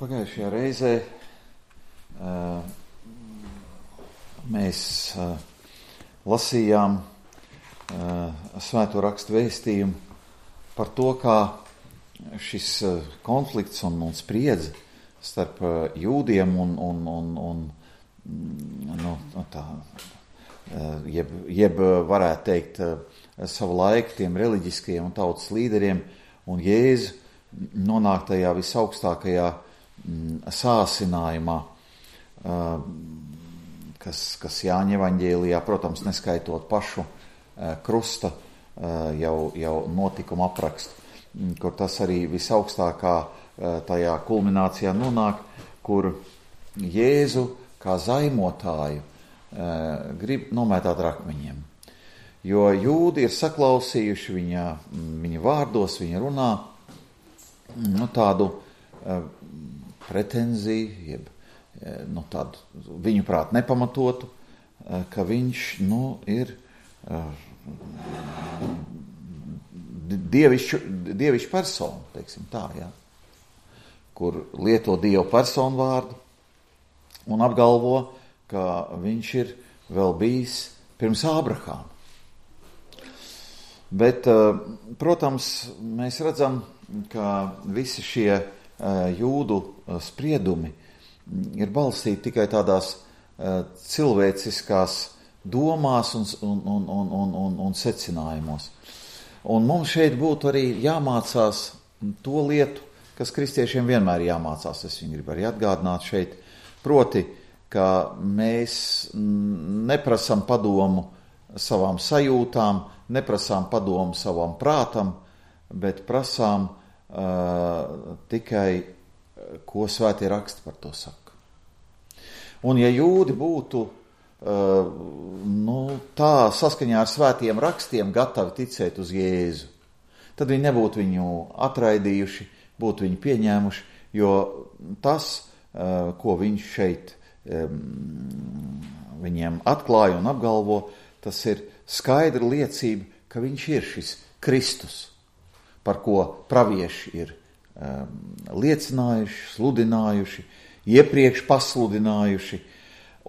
Pagājušajā reizē mēs lasījām Svēto rakstu vēstījumu par to, kā šis konflikts un spriedze starp jūdiem un jeb varētu teikt savu laiku tiem reliģiskajiem un tautas līderiem un Jēzu nonāk tajā visaugstākajā sāsinājumā, kas Jāņa evaņģēlijā, protams, neskaitot pašu krusta jau notikuma aprakstu, kur tas arī visaugstākā tajā kulminācijā nonāk, kur Jēzu kā zaimotāju grib nomētāt ar akmeņiem. Jo jūdi ir saklausījuši viņa vārdos, viņa runā tādu pretenziju, tādu viņuprāt nepamatotu, ka viņš ir dievišķa persona, teiksim tā, kur lieto dievu personu vārdu un apgalvo, ka viņš ir vēl bijis pirms Ābrahāma. Bet, protams, mēs redzam, ka visi šie jūdu spriedumi ir balstīti tikai tādās cilvēciskās domās un secinājumos. Un mums šeit būtu arī jāmācās to lietu, kas kristiešiem vienmēr jāmācās. Es viņu gribu arī atgādināt šeit, proti, ka mēs neprasam padomu savām sajūtām, neprasām padomu savam prātam, bet prasām tikai, ko svētie raksti par to saka. Un ja jūdi būtu tā saskaņā ar svētiem rakstiem gatavi ticēt uz Jēzu, tad viņi nebūtu viņu atraidījuši, būtu viņu pieņēmuši, jo tas, ko viņš šeit viņiem atklāja un apgalvo, tas ir skaidra liecība, ka viņš ir šis Kristus, par ko pravieši ir liecinājuši, sludinājuši, iepriekš pasludinājuši,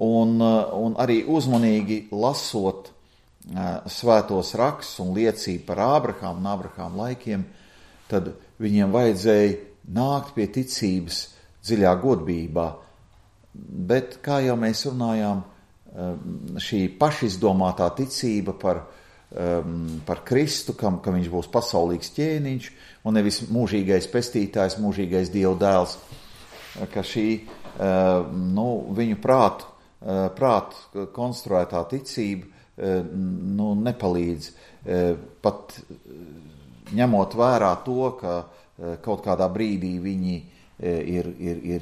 un arī uzmanīgi lasot svētos rakstus un liecību par Ābrahāmu un Ābrahāmu laikiem, tad viņiem vajadzēja nākt pie ticības dziļā godbībā. Bet, kā jau mēs runājām, šī pašizdomātā ticība par Kristu, ka viņš būs pasaulīgs ķēniņš un nevis mūžīgais pestītājs, mūžīgais Dieva dēls, ka šī viņu prātu konstruētā ticība nepalīdz, pat ņemot vērā to, ka kaut kādā brīdī viņi ir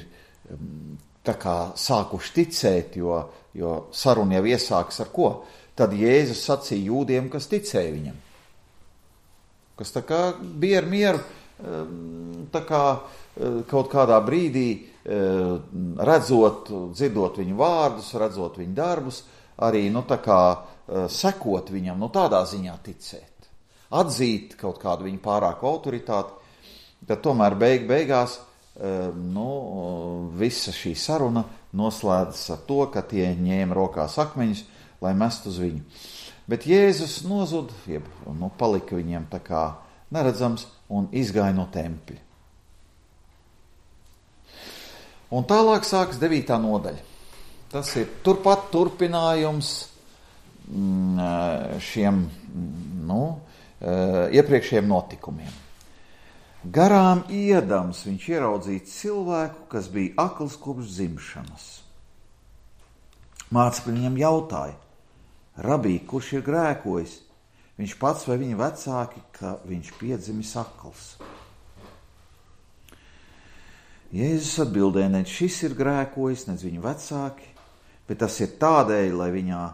tā kā sākuši ticēt, jo saruna jau iesākas ar ko? Tad Jēzus sacīja jūdiem, kas ticēja viņam. Kas tā kā bija ar mieru, tā kā kaut kādā brīdī redzot, dzirdot viņu vārdus, redzot viņu darbus, arī tā kā sekot viņam, tādā ziņā ticēt. Atzīt kaut kādu viņu pārāku autoritāti, tad tomēr beigās visa šī saruna noslēdzas ar to, ka tie ņēma rokās akmeņus, lai mest uz viņu. Bet Jēzus nozuda, palika viņiem tā kā neredzams un izgāja no tempļa. Un tālāk sākas 9. nodaļa. Tas ir turpat turpinājums šiem iepriekšējiem notikumiem. Garām iedams viņš ieraudzīja cilvēku, kas bija akls kopš dzimšanas. Mācekļi viņam jautāja: Rabī, kurš ir grēkojis? Viņš pats vai viņa vecāki, ka viņš piedzimis akls? Jēzus atbildēja: ne šis ir grēkojis, ne viņa vecāki, bet tas ir tādēļ, lai viņā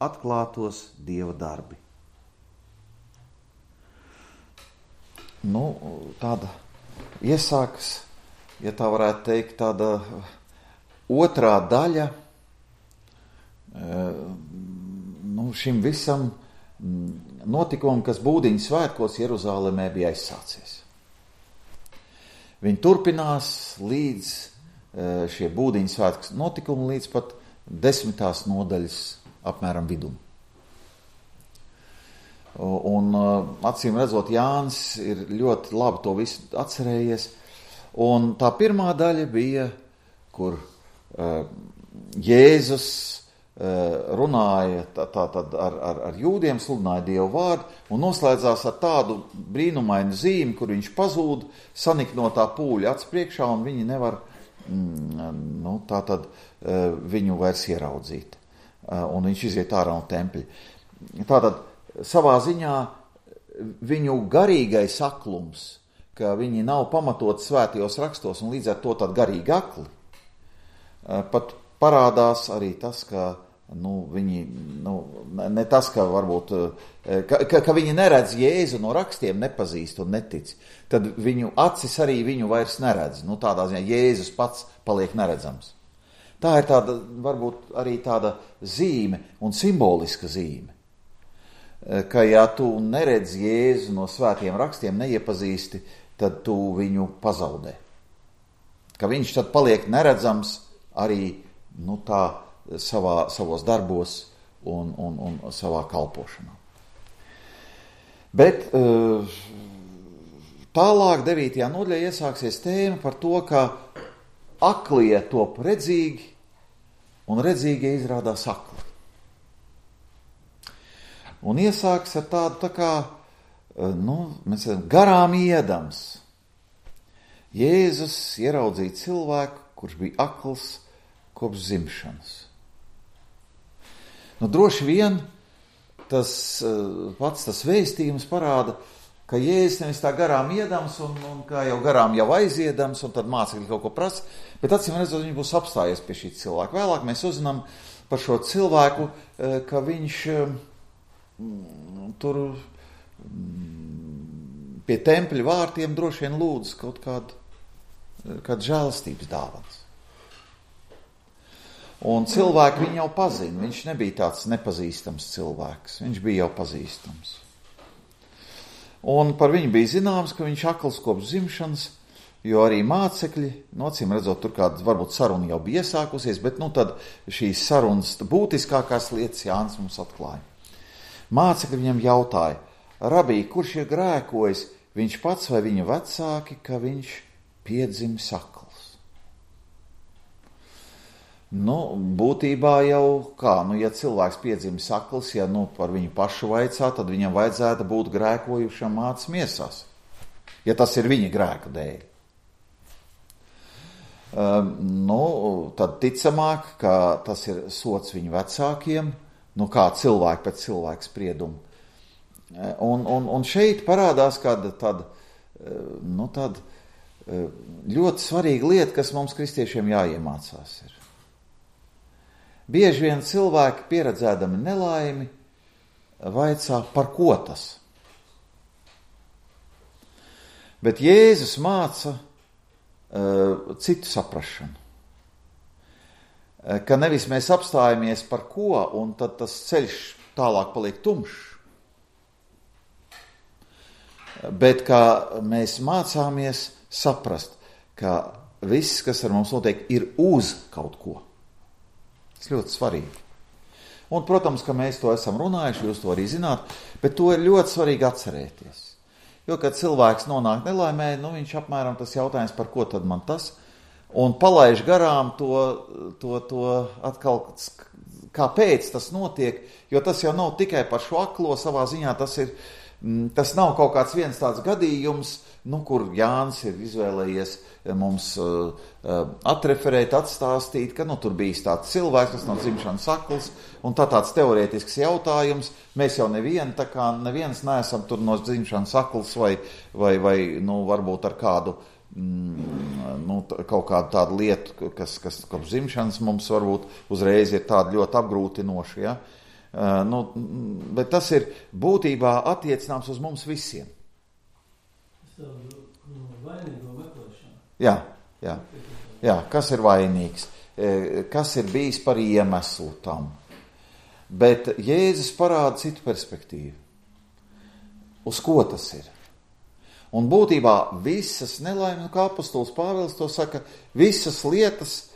atklātos Dieva darbi. Tāda iesākas, ja tā varētu teikt, tāda otrā daļa šim visam notikumam, kas Būdiņu svētkos Jeruzālēmē bija aizsācies. Viņi turpinās līdz šie būdiņu svētku notikumi līdz pat 10. nodaļas apmēram vidum. Un acīm redzot, Jānis ir ļoti labi to visu atcerējies. Un tā pirmā daļa bija, kur Jēzus runāja ar jūdiem, sludināja Dievu vārdu un noslēdzās ar tādu brīnumainu zīmi, kur viņš pazūd saniknotā pūļa acs priekšā un viņi nevar viņu vairs ieraudzīt. Un viņš iziet ārā no tempļa. Tātad savā ziņā viņu garīgais aklums, ka viņi nav pamatot svētajos rakstos un līdz ar to tad garīgi akli, pat parādās arī tas, ka viņi, ne tas, ka varbūt, ka viņi neredz Jēzu no rakstiem, nepazīst un netic, tad viņu acis arī viņu vairs neredz. Tādā ziņā Jēzus pats paliek neredzams. Tā ir tāda, varbūt arī tāda zīme un simboliska zīme, ka ja tu neredz Jēzu no svētiem rakstiem, neiepazīsti, tad tu viņu pazaudē. Ka viņš tad paliek neredzams arī savos darbos un savā kalpošanā. Bet tālāk 9. nodaļā iesāksies tēma par to, ka aklie top redzīgi un redzīgie izrādās akli. Un iesāks ar tādu garām iedams. Jēzus ieraudzīja cilvēku, kurš bija akls kopš dzimšanas. Droši vien tas vēstījums parāda, ka Jēzus nevis tā garām iedams un kā jau garām jau aiziedams un tad mācekļi kaut ko prasa, bet acīm redzot, viņš būs apstājies pie šī cilvēka. Vēlāk mēs uzzinām par šo cilvēku, ka viņš tur pie tempļa vārtiem droši vien lūdz kaut kādu žēlastības dāvans. Un cilvēki viņu jau pazina, viņš nebija tāds nepazīstams cilvēks, viņš bija jau pazīstams. Un par viņu bija zināms, ka viņš akls kopš dzimšanas, jo arī mācekļi, acīm redzot, tur kāda varbūt saruna jau bija iesākusies, bet tad šīs sarunas būtiskākās lietas Jānis mums atklāja. Mācekļi viņam jautāja, rabī, kurš ir grēkojis, viņš pats vai viņa vecāki, ka viņš piedzimis akls? Būtībā jau ja cilvēks piedzimis akls, ja par viņu pašu vaicā, tad viņam vajadzētu būt grēkojušam mātes miesās, ja tas ir viņa grēka dēļ. Tad ticamāk, ka tas ir sots viņu vecākiem, kā cilvēki pēc cilvēka spriedumu. Un šeit parādās kāda ļoti svarīga lieta, kas mums kristiešiem jāiemācās ir. Bieži vien cilvēki pieredzēdami nelaimi vaicā, par ko tas. Bet Jēzus māca citu saprašanu. Ka nevis mēs apstājamies par ko, un tad tas ceļš tālāk paliek tumšs, bet kā mēs mācāmies saprast, ka viss, kas ar mums notiek, ir uz kaut ko. Tas ļoti svarīgi. Un, protams, ka mēs to esam runājuši, jūs to arī zināt, bet to ir ļoti svarīgi atcerēties. Jo, kad cilvēks nonāk nelaimē, viņš apmēram tas jautājums, par ko tad man tas, un palaiž garām to atkal, kāpēc tas notiek, jo tas jau nav tikai par šo aklo, savā ziņā tas nav kaut kāds viens tāds gadījums, kur Jānis ir izvēlējies mums atreferēt, atstāstīt, ka tur bijis tāds cilvēks, kas no dzimšanas akls, un tāds teorētisks jautājums. Mēs jau neviens neesam tur no dzimšanas akls vai varbūt ar kādu kaut kādu tādu lietu, kas kopš dzimšanas mums varbūt uzreiz ir tāda ļoti apgrūtinoša, ja? Bet tas ir būtībā attiecināms uz mums visiem. Vainīgo meklēšana. Jā, kas ir vainīgs, kas ir bijis par iemeslu tam. Bet Jēzus parāda citu perspektīvu. Uz ko tas ir? Un būtībā visas nelaimes, kā apostols Pāvils to saka, visas lietas,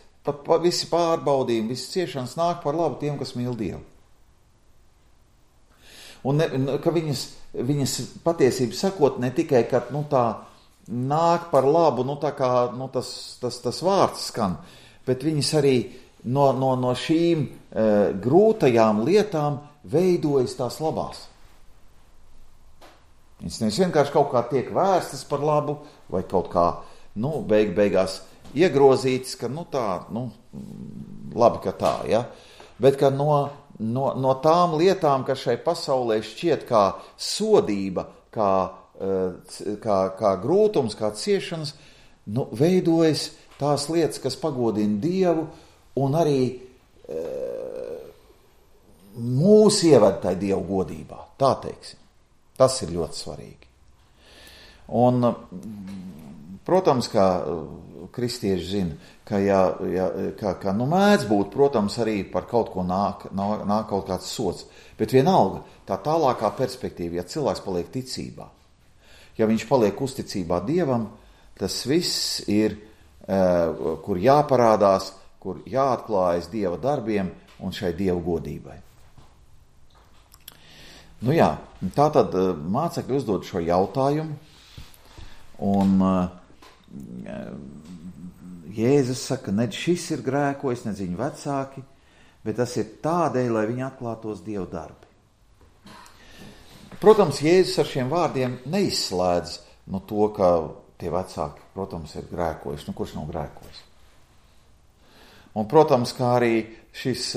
visi pārbaudījumi, visas ciešanas nāk par labu tiem, kas mīl Dievu. Un ka viņas patiesību sakot ne tikai, ka tā nāk par labu, tā kā tas vārds skan, bet viņas arī no šīm grūtajām lietām veidojas tās labās. Viņas nevis vienkārši kaut kā tiek vēstas par labu, vai kaut kā, beigās iegrozītas, ka labi, ka tā, ja? Bet ka no tām lietām, kas šai pasaulē šķiet kā sodība, kā grūtums, kā ciešanas, veidojas tās lietas, kas pagodina Dievu un arī mūs ieved tai Dievu godībā, tā teiksim. Tas ir ļoti svarīgi. Un, protams, kā kristieši zina, ka mēdz būt, protams, arī par kaut ko nāk kaut kāds sots, bet vienalga tā tālākā perspektīva, ja cilvēks paliek ticībā, ja viņš paliek uzticībā Dievam, tas viss ir, kur jāparādās, kur jāatklājas Dieva darbiem un šai Dieva godībai. Tātad mācekļi uzdod šo jautājumu, un Jēzus saka, ne šis ir grēkojis, ne viņa vecāki, bet tas ir tādēļ, lai viņi atklātos Dieva darbi. Protams, Jēzus ar šiem vārdiem neizslēdz to, ka tie vecāki, protams, ir grēkojuši. Kurš nav grēkojis? Un, protams, kā arī šis,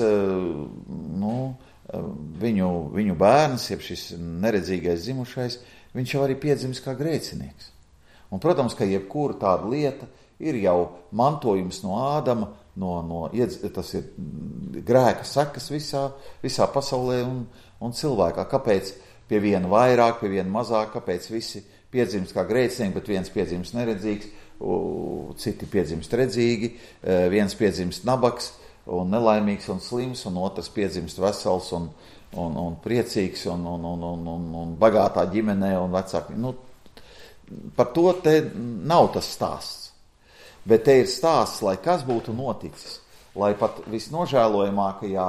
viņu bērns, jeb šis neredzīgais zimušais, viņš jau arī piedzimis kā grēcinieks. Un, protams, ka jebkura tāda lieta ir jau mantojums no Ādama, tas ir grēka sekas visā pasaulē un cilvēkā. Kāpēc pie viena vairāk, pie viena mazāk, kāpēc visi piedzimst kā grēcinieki, bet viens piedzimst neredzīgs, citi piedzimst redzīgi, viens piedzimst nabaks un nelaimīgs un slims, un otrs piedzimst vesels un priecīgs un bagātā ģimenē un vecāki. Par to te nav tas stāsts. Bet te ir stāsts, lai kas būtu noticis, lai pat visnožēlojamākajā,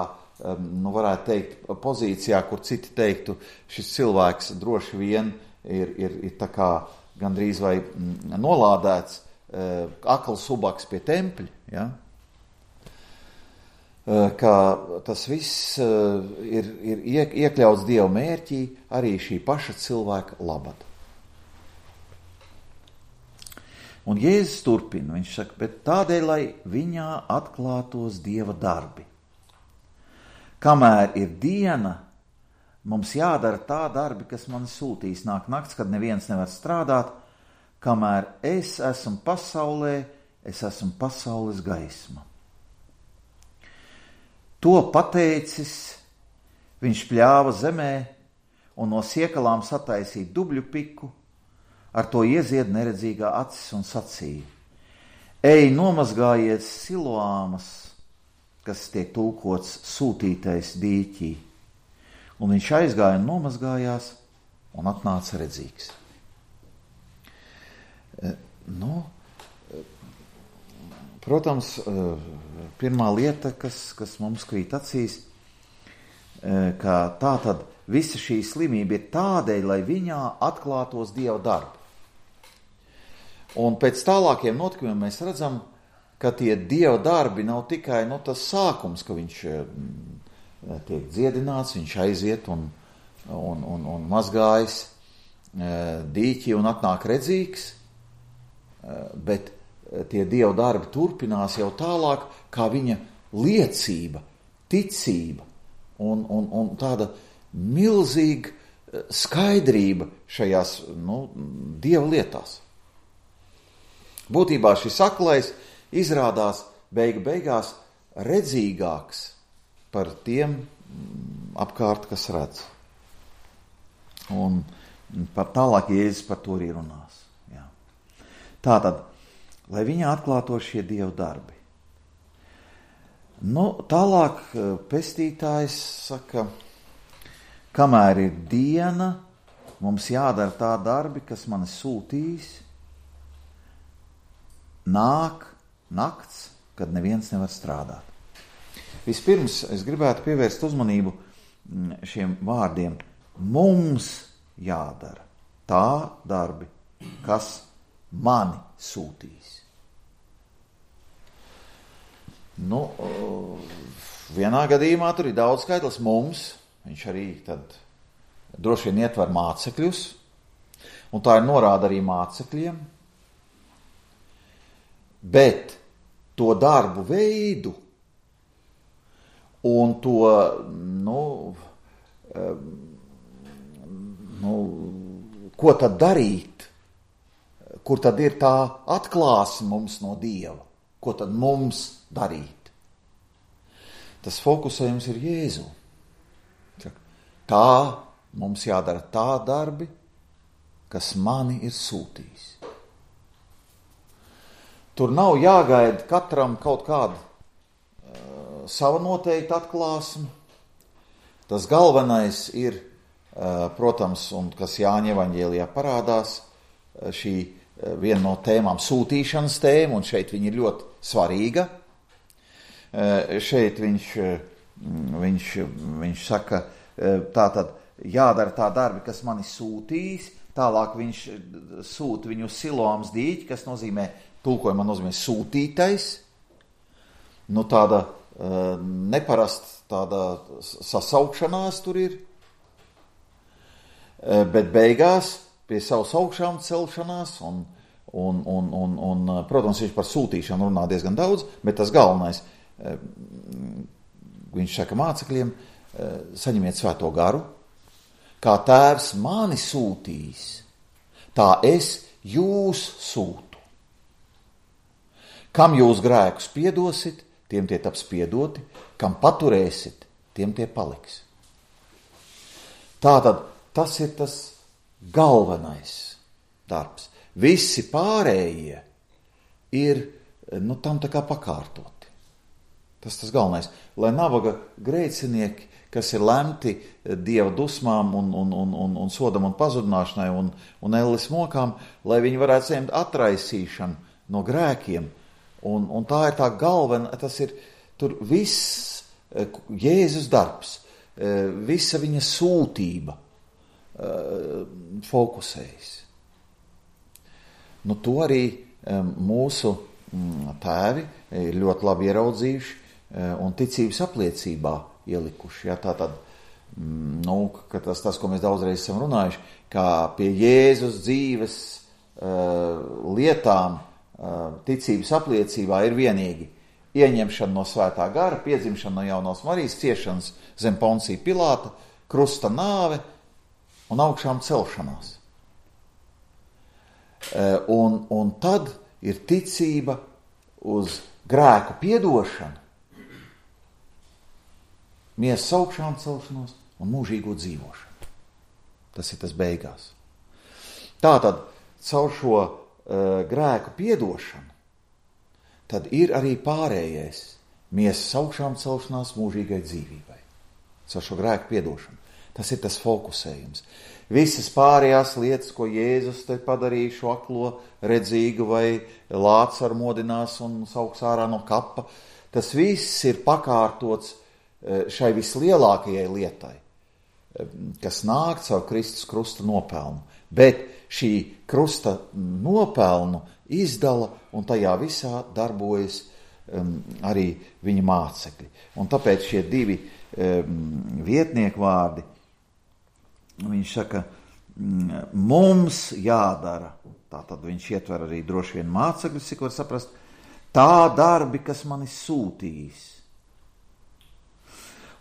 varētu teikt, pozīcijā, kur citi teiktu, šis cilvēks droši vien ir tā kā gandrīz vai nolādēts akls ubaks pie tempļa, ja? Ka tas viss ir iekļauts Dieva mērķī arī šī paša cilvēka labad. Un Jēzus turpina, viņš saka, bet tādēļ, lai viņā atklātos Dieva darbi. Kamēr ir diena, mums jādara tā darbi, kas man sūtīs. Nāk nakts, kad neviens nevar strādāt, kamēr es esmu pasaulē, es esmu pasaules gaisma. To pateicis, viņš pļāva zemē un no siekalām sataisīja dubļu piku, ar to iezied neredzīgā acis un sacīja: Ej, nomazgājies Siloāmas, kas tiek tulkots sūtītais dīķī. Un viņš aizgāja un nomazgājās un atnāca redzīgs. Protams, pirmā lieta, kas mums krīt acīs, ka tā tad visa šī slimība ir tādēļ, lai viņā atklātos Dieva darbi. Un pēc tālākiem notikumiem mēs redzam, ka tie Dieva darbi nav tikai tas sākums, ka viņš tiek dziedināts, viņš aiziet un mazgājas dīķi un atnāk redzīgs, bet tie Dieva darbi turpinās jau tālāk, kā viņa liecība, ticība un tāda milzīga skaidrība šajās Dieva lietās. Būtībā šis aklais izrādās beigās redzīgāks par tiem apkārt, kas redz. Un par tālāk Jēzus par to arī runās. Jā. Tātad, lai viņā atklātos šie Dieva darbi. Tālāk pestītājs saka, kamēr ir diena, mums jādara tā darbi, kas mani sūtīs, nāk nakts, kad neviens nevar strādāt. Vispirms es gribētu pievērst uzmanību šiem vārdiem. Mums jādara tā darbi, kas mani sūtīs. Vienā gadījumā tur ir daudz skaitlis mums, viņš arī tad droši vien ietver mācekļus, un tā ir norāda arī mācekļiem, bet to darbu veidu un to, ko tad darīt, kur tad ir tā atklāsme mums no Dieva, ko tad mums darīt. Tas fokusējums ir Jēzu. Tā mums jādara tā darbi, kas mani ir sūtījis. Tur nav jāgaida katram kaut kāda sava noteikta atklāsme. Tas galvenais ir, protams, un kas Jāņa evaņģēlijā parādās, šī viena no tēmām sūtīšanas tēma, un šeit viņa ir ļoti svarīga. Šeit viņš saka, tātad jādara tā darbi, kas mani sūtīs, tālāk viņš sūta viņu uz Siloams dīķi, kas nozīmē, tulkojumā nozīmē sūtītais, tāda neparasta tāda sasaukšanās tur ir, bet beigās pie savas augšām celšanās un protams, viņš par sūtīšanu runā diezgan daudz, bet tas galvenais, viņš saka mācekļiem, saņemiet svēto garu, kā tēvs mani sūtīs, tā es jūs sūtu. Kam jūs grēkus piedosit, tiem tie taps piedoti, kam paturēsit, tiem tie paliks. Tātad tas ir tas galvenais darbs. Visi pārējie ir tam tā kā pakārtoti. Tas galvenais. Lai nabaga grēcinieki, kas ir lemti Dieva dusmām un sodam un pazudināšanai un elles mokām, lai viņi varētu saņemt atraisīšanu no grēkiem. Un tā ir tā galvenā, tas ir tur viss Jēzus darbs, visa viņa sūtība fokusējas. To arī mūsu tēvi ir ļoti labi ieraudzījuši un ticības apliecībā ielikuši. Ja, tātad, tas, ko mēs daudzreiz esam runājuši, kā pie Jēzus dzīves lietām ticības apliecībā ir vienīgi ieņemšana no svētā gara, piedzimšana no jaunās Marijas, ciešanas zem Poncija Pilāta, krusta nāve un augšām celšanās. Un tad ir ticība uz grēku piedošanu, miesas augšām celšanos un mūžīgo dzīvošanu. Tas ir tas beigās. Tātad caur šo grēku piedošanu, tad ir arī pārējais miesas augšām celšanās mūžīgai dzīvībai. Caur šo grēku piedošanu. Tas ir tas fokusējums. Visas pārējās lietas, ko Jēzus te padarīja, šo aklo redzīgu vai Lācaru modinās un sauks ārā no kapa, tas viss ir pakārtots šai vislielākajai lietai, kas nāk caur Kristus krusta nopelnu. Bet šī krusta nopelnu izdala un tajā visā darbojas arī viņa mācekļi. Un tāpēc šie divi vietnieku vārdi, viņš saka, mums jādara, tātad viņš ietver arī droši vien mācekļus, cik var saprast, tā darbi, kas mani sūtīs.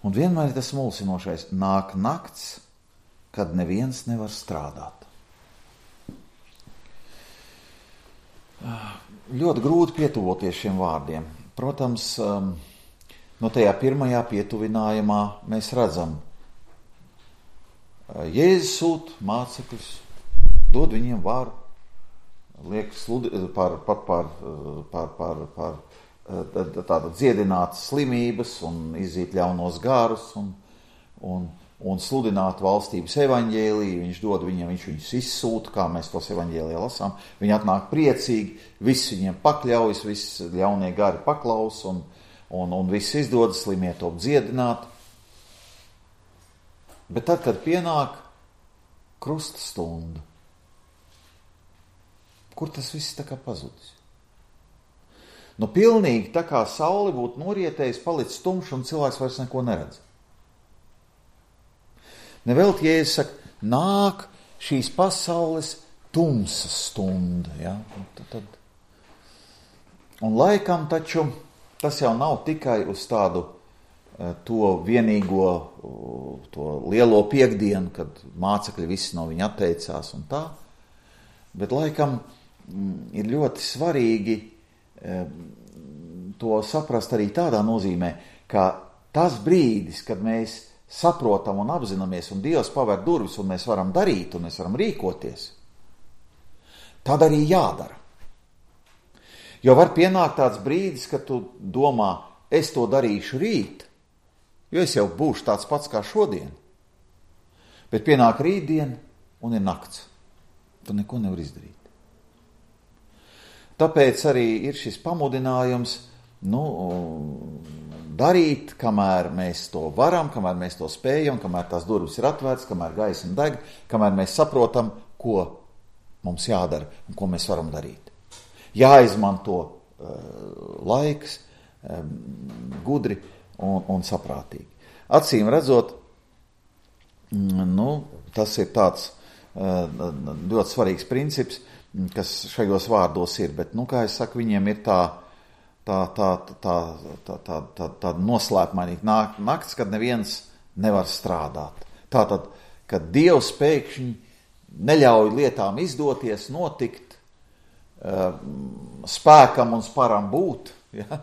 Un vienmēr ir tas mulsinošais, nāk nakts, kad neviens nevar strādāt. Ļoti grūti pietuvoties šiem vārdiem. Protams, tajā pirmajā pietuvinājumā mēs redzam, Jēzus sūta mācekļus, dod viņiem varu, liek dziedināt slimības un izzīt ļaunos garus un un sludināt valstības evaņģēliju, viņš dod viņiem, viņš viņus izsūta, kā mēs tos evaņģēlijā lasām, viņi atnāk priecīgi, viss viņiem pakļaujas, viss ļaunie gari paklaus, un viss izdodas, slimie top dziedināt. Bet tad, kad pienāk krusta stunda, kur tas viss tā kā pazudis? Nu, pilnīgi tā kā saule būtu norietējis, palicis tumšs un cilvēks vairs neko neredz. Nevelti Jēzus saka, nāk šīs pasaules tumsas stunda. Ja? Un laikam taču tas jau nav tikai uz tādu to vienīgo, to lielo piekdienu, kad mācekļi visi no viņa atteicās un tā, bet laikam ir ļoti svarīgi to saprast arī tādā nozīmē, ka tas brīdis, kad mēs saprotam un apzināmies, un Dievs paver durvis, un mēs varam darīt, un mēs varam rīkoties, tad arī jādara. Jo var pienākt tāds brīdis, kad tu domā, es to darīšu rīt, jo es jau būšu tāds pats kā šodien. Bet pienāk rītdien, un ir nakts. Tu neko nevar izdarīt. Tāpēc arī ir šis pamudinājums, darīt, kamēr mēs to varam, kamēr mēs to spējam, kamēr tās durvis ir atvērtas, kamēr gaisma deg, kamēr mēs saprotam, ko mums jādara un ko mēs varam darīt. Jāizmanto laiks gudri un saprātīgi. Acīm redzot, tas ir tāds ļoti svarīgs princips, kas šajos vārdos ir, bet, kā es saku, viņiem ir tā noslēpmainīga nakts, kad neviens nevar strādāt. Tātad, kad Dievs pēkšņi neļauj lietām izdoties, notikt, spēkam un sparam būt, ja?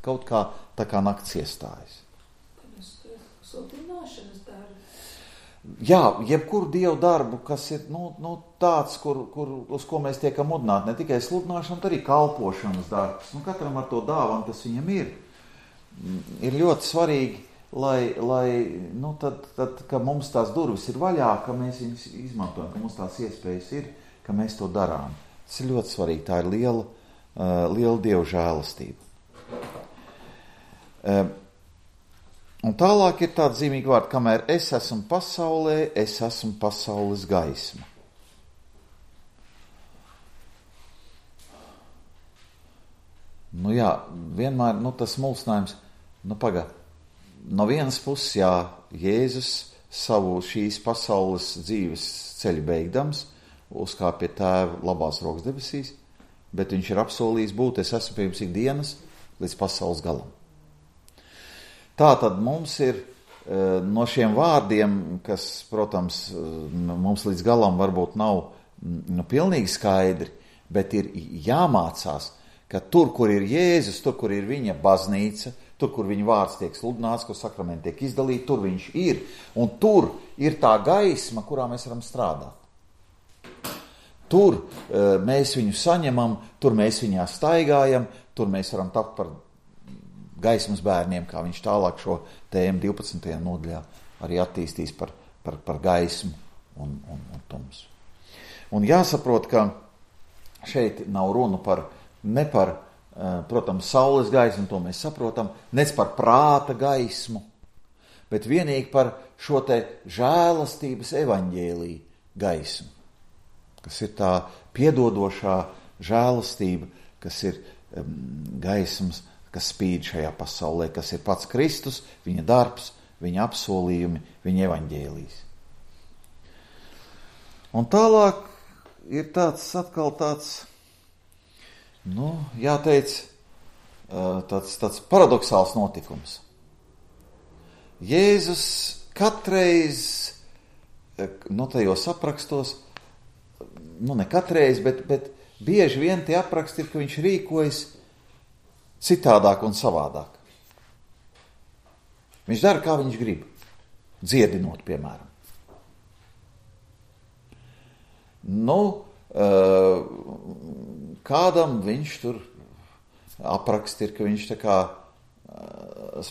Kaut kā tā kā nakts iestājas. Sludināšanas darbu. Jā, jebkuru Dievu darbu, kas ir tāds, uz ko mēs tiekam mudināti, ne tikai sludināšana, bet arī kalpošanas darbs. Katram ar to dāvanu, kas viņam ir. Ir ļoti svarīgi, lai tad, ka mums tās durvis ir vaļā, ka mēs viņas izmantojam, ka mums tās iespējas ir, ka mēs to darām. Tas ir ļoti svarīgi, tā ir liela Dieva žēlastība. Un tālāk ir tāda zīmīga vārda, kamēr es esmu pasaulē, es esmu pasaules gaisma. Vienmēr tas mulsinājums, no vienas puses, Jēzus savu šīs pasaules dzīves ceļu beigdams, uzkāp pie Tēva labās rokas debesīs, bet viņš ir apsolījis būt, es esmu pie jums ikdienas līdz pasaules galam. Tātad mums ir no šiem vārdiem, kas, protams, mums līdz galam varbūt nav pilnīgi skaidri, bet ir jāmācās, ka tur, kur ir Jēzus, tur, kur ir viņa baznīca, tur, kur viņa vārds tiek sludināts, kur sakramenti tiek izdalīti, tur viņš ir. Un tur ir tā gaisma, kurā mēs varam strādāt. Tur mēs viņu saņemam, tur mēs viņā staigājam, tur mēs varam tapt par gaismas bērniem, kā viņš tālāk šo tēmu 12. nodaļā arī attīstīs par gaismu un tumsu. Un jāsaprot, ka šeit nav runa ne par, protams, saules gaismu, to mēs saprotam, nec par prāta gaismu, bet vienīgi par šo te žēlastības evaņģēliju gaismu, kas ir tā piedodošā žēlastība, kas ir gaismas, kas spīd šajā pasaulē, kas ir pats Kristus, viņa darbs, viņa apsolījumi, viņa evaņģēlijs. Un tālāk ir atkal tāds, jāteic, tāds paradoxāls notikums. Jēzus katreiz, tajos aprakstos, ne katreiz, bet bieži vien tie apraksti ir, ka viņš rīkojas citādāk un savādāk. Viņš dara, kā viņš grib, dziedinot, piemēram. Kādam viņš tur apraksti ir, ka viņš tā kā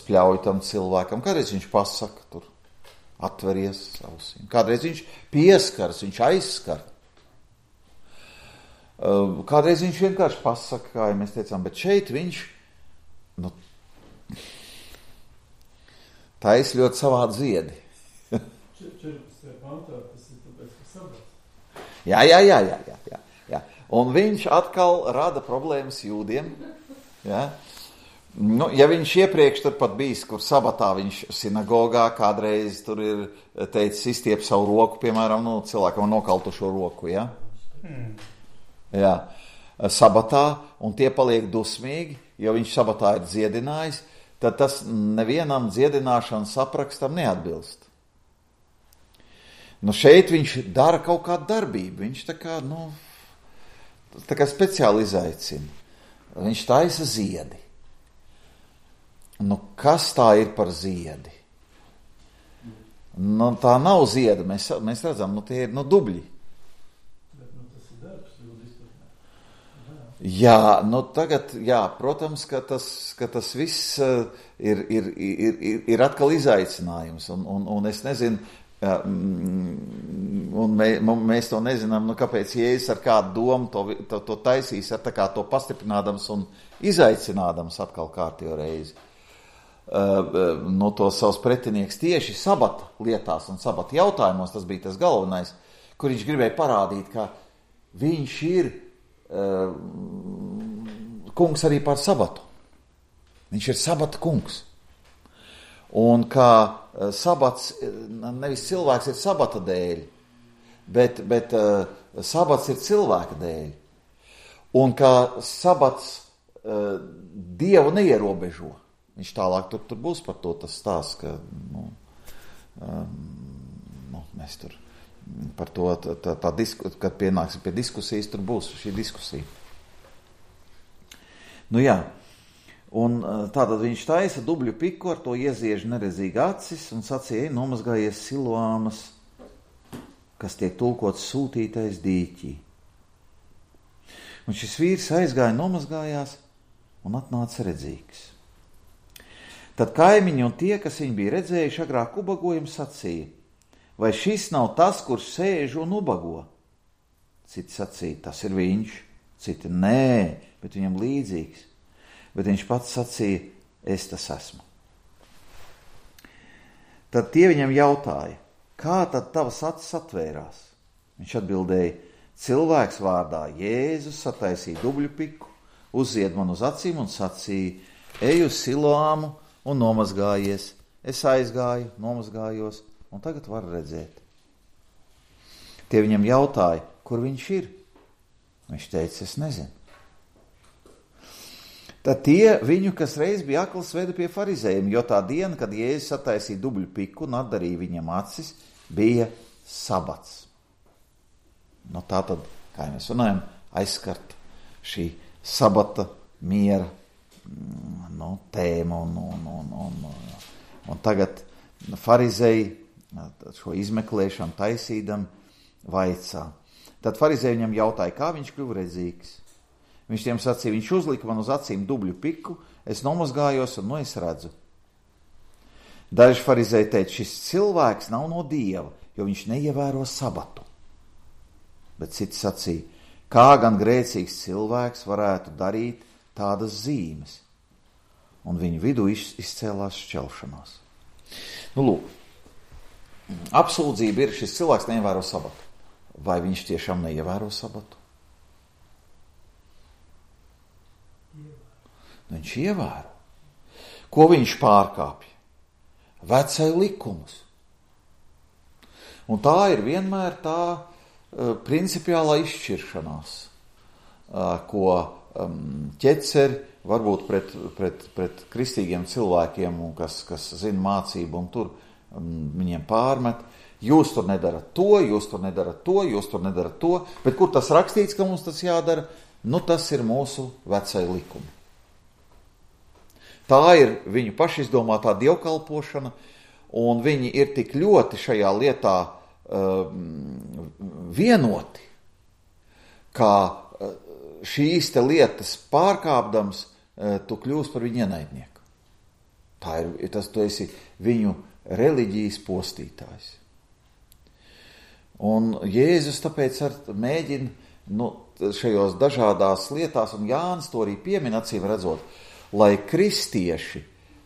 spļauj tam cilvēkam, kādreiz viņš pasaka tur atveries ausīm. Kādreiz viņš pieskars, viņš aizskar. Kādreiz viņš vienkārši pasaka, kā mēs teicām, bet šeit viņš tais ļoti savādi ziedi. 14. pantā tas ir tāpēc, ka sabats. Jā. Un viņš atkal rada problēmas jūdiem. Jā. Nu, ja viņš iepriekš tur pat bijis, kur sabatā viņš sinagogā kādreiz tur ir teicis izstiep savu roku, piemēram, cilvēkam nokaltušo roku, ja? Jā, sabatā, un tie paliek dusmīgi, jo viņš sabatā ir dziedinājis, tad tas nevienam dziedināšanas aprakstam neatbilst. Nu, šeit viņš dara kaut kādu darbību, viņš tā kā speciāli izaicina. Viņš taisa ziedi. Nu, kas tā ir par ziedi? Nu, tā nav zieda, mēs redzam, tie ir dubļi. Bet, tas ir darbs, ļoti izpratnē. Jā, tagad, protams, ka tas viss ir atkal izaicinājums, un es nezinu, un mēs to nezinām, kāpēc Jēzus ar kādu domu to taisīs, ar tā kā to pastiprinādams un izaicinādams atkal kārtējo reizi. Tos savus pretinieks tieši sabata lietās un sabata jautājumos, tas bija tas galvenais, kur viņš gribēja parādīt, ka viņš ir kungs arī par sabatu. Viņš ir sabata kungs. Un kā sabats, nevis cilvēks ir sabata dēļ, bet sabats ir cilvēka dēļ. Un kā sabats Dievu neierobežo. Viņš tālāk tur būs par to tas stāsts, ka mēs tur par to, kad pienāksim pie diskusijas, tur būs šī diskusija. Un tātad viņš taisa dubļu piku, ar to ieziež neredzīgi acis un sacīja, nomazgājies Siloāmas, kas tiek tulkots sūtītais dīķī. Un šis vīrs aizgāja, nomazgājās un atnāca redzīgs. Tad kaimiņi un tie, kas viņu bija redzējuši agrāk ubagojumu, sacīja, vai šis nav tas, kurš sēž un ubago? Citi sacīja, tas ir viņš, citi nē, bet viņam līdzīgs. Bet viņš pats sacīja, es tas esmu. Tad tie viņam jautāja, kā tad tavas acis atvērās? Viņš atbildēja, cilvēks vārdā Jēzus sataisīja dubļu piku, uzzied man uz acīm un sacīja, ej uz Siloāmu un nomazgājies. Es aizgāju, nomazgājos, un tagad var redzēt. Tie viņam jautāja, kur viņš ir? Viņš teica, es nezinu. Tad tie viņu, kas reiz bija akls, veda pie farizējiem, jo tā diena, kad Jēzus sataisīja dubļu piku un atdarīja viņam acis, bija sabats. Tātad, kā mēs runājam, aizskart šī sabata miera tēma un tagad farizēji šo izmeklēšanu taisīdam vaicā. Tad farizēji viņam jautāja, kā viņš kļuva redzīgs. Viņš tiem sacīja, viņš uzlika man uz acīm dubļu piku, es nomazgājos un es redzu. Daži farizēji teica, šis cilvēks nav no Dieva, jo viņš neievēro sabatu. Bet citi sacīja, kā gan grēcīgs cilvēks varētu darīt tādas zīmes. Un viņu vidū izcēlās šķelšanās. Lūk, apsūdzība ir, šis cilvēks neievēro sabatu. Vai viņš tiešām neievēro sabatu? Viņš ievēro. Ko viņš pārkāpja? Vecai likumus. Un tā ir vienmēr tā principiālā izšķiršanās, ko ķeceri varbūt pret kristīgiem cilvēkiem, kas zina mācību un tur viņiem pārmet. Jūs tur nedarat to, jūs tur nedarat to, jūs tur nedarat to, bet kur tas rakstīts, ka mums tas jādara? Tas ir mūsu vecai likumi. Tā ir viņu pašizdomātā dievkalpošana, un viņi ir tik ļoti šajā lietā vienoti, kā šīs te lietas pārkāpdams, tu kļūsi par viņu ienaidnieku. Tu esi viņu reliģijas postītājs. Un Jēzus tāpēc mēģina šajos dažādās lietās, un Jānis to arī piemin acīm redzot, lai kristieši,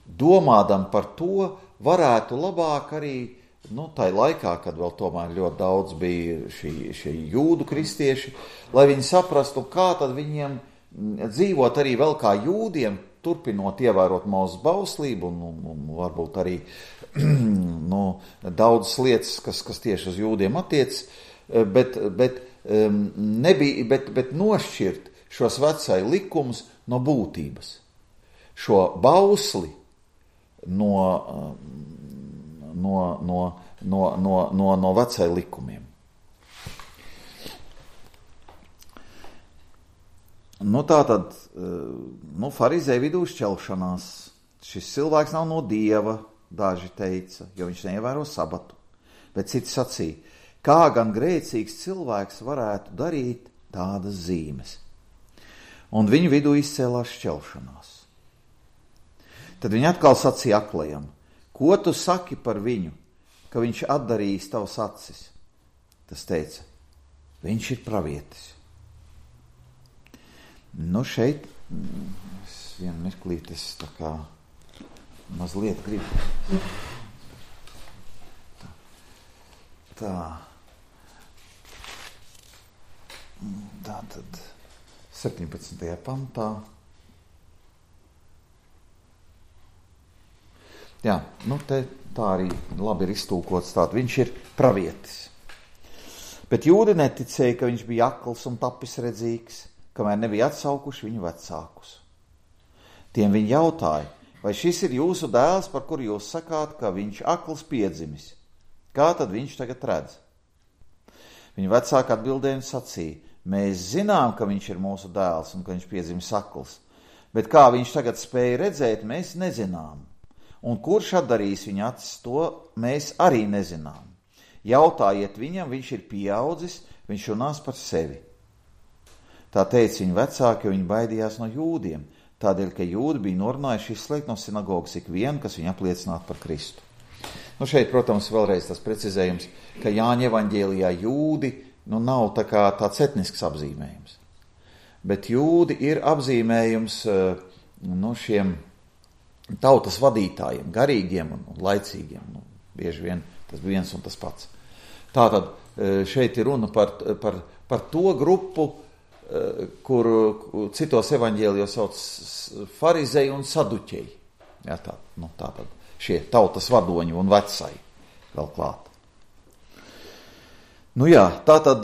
domādam par to, varētu labāk arī, tai laikā, kad vēl tomēr ļoti daudz bija šie jūdu kristieši, lai viņi saprastu, kā tad viņiem dzīvot arī vēl kā jūdiem, turpinot ievērot Mūzes bauslību un varbūt arī daudzas lietas, kas tieši uz jūdiem attiec, bet nošķirt šos vecai likumus no būtības. Šo bausli no vecai likumiem. Tātad, farizēju vidū šķelšanās. Šis cilvēks nav no Dieva, daži teica, jo viņš neievēro sabatu. Bet citi sacīja, kā gan grēcīgs cilvēks varētu darīt tādas zīmes. Un viņu vidū izcēlās šķelšanās. Tad viņi atkal sacīja aklajam, ko tu saki par viņu, ka viņš atdarījis tavas acis? Tas teica, viņš ir pravietis. Šeit, vienu mirklīt, es tā kā mazliet gribu. Tā tad 17. pantā. Jā, te tā arī labi ir iztūkots tātad. Viņš ir pravietis. Bet jūdi neticēja, ka viņš bija akls un tapis redzīgs, kamēr nebija atsaukuši viņu vecākus. Tiem viņi jautāja, vai šis ir jūsu dēls, par kuru jūs sakāt, ka viņš akls piedzimis? Kā tad viņš tagad redz? Viņa vecāki atbildēja un sacīja, mēs zinām, ka viņš ir mūsu dēls un ka viņš piedzimis akls, bet kā viņš tagad spēja redzēt, mēs nezinām. Un kurš atdarīs viņa acis, to mēs arī nezinām. Jautājiet viņam, viņš ir pieaudzis, viņš runās par sevi. Tā teica viņa vecāki, jo viņi baidījās no jūdiem, tādēļ, ka jūdi bija norunājuši izslēgt no sinagogas ikvienu, kas viņu apliecinātu par Kristu. Šeit, protams, vēlreiz tas precizējums, ka Jāņa evaņģēlijā jūdi nav tāds etnisks apzīmējums. Bet jūdi ir apzīmējums šiem tautas vadītājiem, garīgiem un laicīgiem. Bieži vien tas bija viens un tas pats. Tātad šeit ir runa par to grupu, kuru citos evaņģēlijos sauc farizeji un saduķeji. Jā, tātad šie tautas vadoņi un vecai vēl klāt. Tātad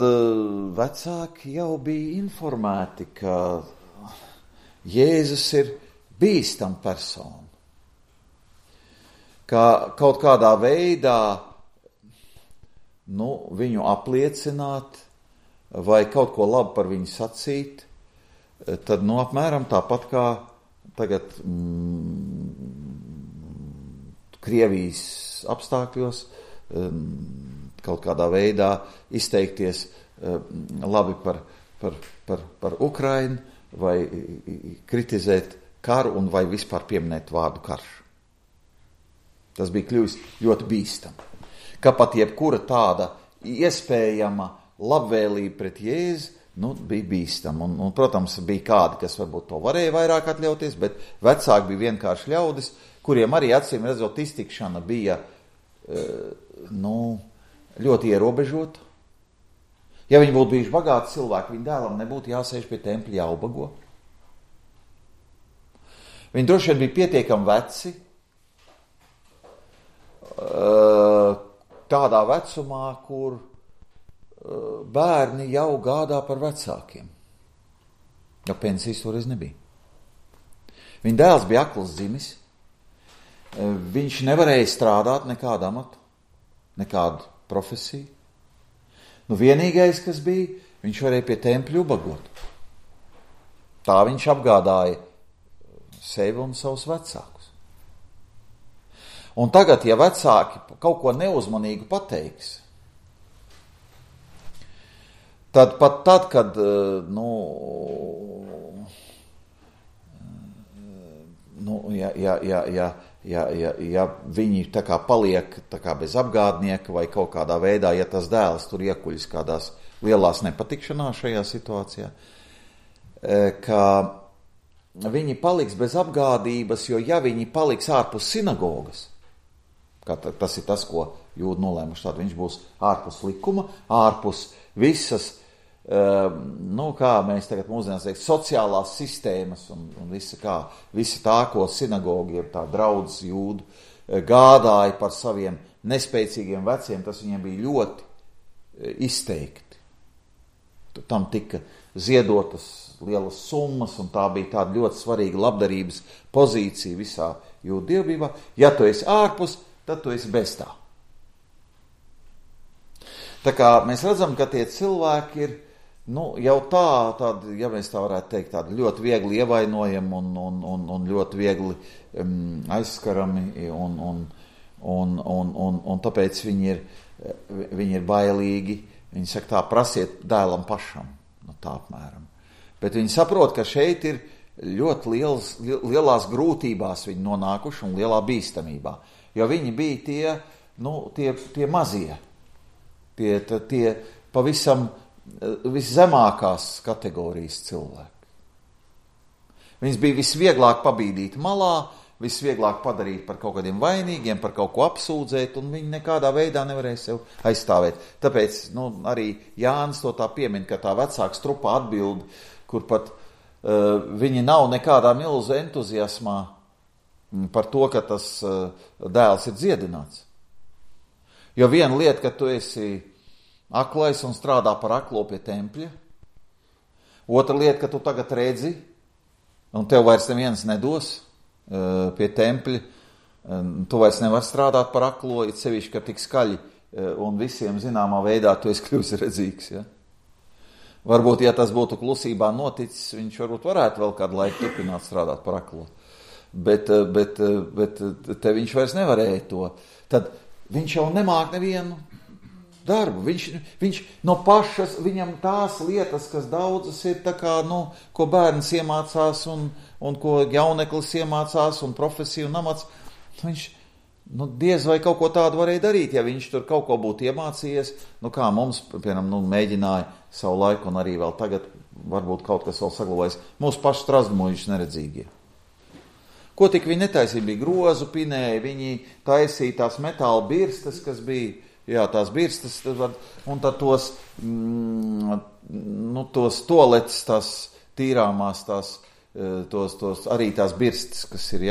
vecāki jau bija informēti, ka Jēzus ir bīstam persona. Ka kaut kādā veidā viņu apliecināt vai kaut ko labu par viņu sacīt, tad apmēram tāpat kā tagad Krievijas apstākļos kaut kādā veidā izteikties labi par Ukrainu vai kritizēt karu un vai vispār pieminēt vārdu karš. Tas bija kļuvis ļoti bīstami. Ka pat jebkura tāda iespējama labvēlība pret Jēzu bija bīstama. Un, protams, bija kādi, kas varbūt to varēja vairāk atļauties, bet vecāki bija vienkārši ļaudis, kuriem arī acīm redzot iztikšana bija ļoti ierobežota. Ja viņi būtu bijuši bagāti cilvēki, viņa dēlam nebūtu jāsēž pie tempļa jāubago. Viņi droši vien bija pietiekami veci, tādā vecumā, kur bērni jau gādā par vecākiem. Jo pensijas toreiz nebija. Viņa dēls bija akls dzimis. Viņš nevarēja strādāt nekādu amatu, nekādu profesiju. Vienīgais, kas bija, viņš varēja pie tempļa ubagot. Tā viņš apgādāja sevi un savus vecākus. Un tagad, ja vecāki kaut ko neuzmanīgu pateiks, tad pat tad, kad ja viņi tā kā paliek tā kā bez apgādnieka vai kaut kādā veidā, ja tas dēls tur iekuļas kādās lielās nepatikšanās šajā situācijā, ka viņi paliks bez apgādības, jo ja viņi paliks ārpus sinagogas, tas ir tas, ko jūdi nolēmuši, tad viņš būs ārpus likuma, ārpus visas, kā mēs tagad mūsdienās teikt, sociālās sistēmas un visa tā, ko sinagogi ir tā draudz jūdu, gādāja par saviem nespēcīgiem veciem, tas viņiem bija ļoti izteikti. Tam tika ziedotas lielas summas, un tā bija tāda ļoti svarīga labdarības pozīcija visā jūdu dievbībā. Ja tu esi ārpus, tad tu esi bez tā. Tā kā mēs redzam, ka tie cilvēki ir jau tādi, ja mēs tā varētu teikt, tādi ļoti viegli ievainojami un ļoti viegli aizskarami, un tāpēc viņi ir bailīgi. Viņi saka tā, prasiet dēlam pašam, tā apmēram. Bet viņi saprot, ka šeit ir ļoti lielās grūtībās viņi nonākuši un lielā bīstamībā, jo viņi bija tie mazie, tie pavisam viszemākās kategorijas cilvēki. Viņus bija visvieglāk pabīdīt malā, visvieglāk padarīt par kaut kādiem vainīgiem, par kaut ko apsūdzēt, un viņi nekādā veidā nevarēja sev aizstāvēt. Tāpēc arī Jānis to tā piemin, ka tā vecāka strupa atbild, kur pat viņi nav nekādā milzu entuziasmā par to, ka tas dēls ir dziedināts. Jo viena lieta, ka tu esi aklais un strādā par aklo pie tempļa. Otra lieta, ka tu tagad redzi, un tev vairs neviens nedos pie tempļa. Tu vairs nevar strādāt par aklo, it sevišķi, ka tik skaļi un visiem zināmā veidā tu esi kļuvis redzīgs. Ja? Varbūt, ja tas būtu klusībā noticis, viņš varētu vēl kādu laiku turpināt strādāt par aklo. Bet te viņš vairs nevarēja to. Tad viņš jau nemāk nevienu darbu. Viņš no pašas, viņam tās lietas, kas daudzas ir tā kā, ko bērns iemācās un ko jauneklis iemācās un profesiju un amats, viņš, diez vai kaut ko tādu varēja darīt, ja viņš tur kaut ko būtu iemācījies, kā mums, piemēram, mēģināja savu laiku un arī vēl tagad varbūt kaut kas vēl saglabājas, mūsu pašu strazdmuļus neredzīgie. Ko tik viņi netaisīja, bija grozu pinēji, viņi taisīja tās metāla birstas, kas bija, tās birstas, un tad tos toaletes, tās tīrāmās, arī tās birstas, kas ir,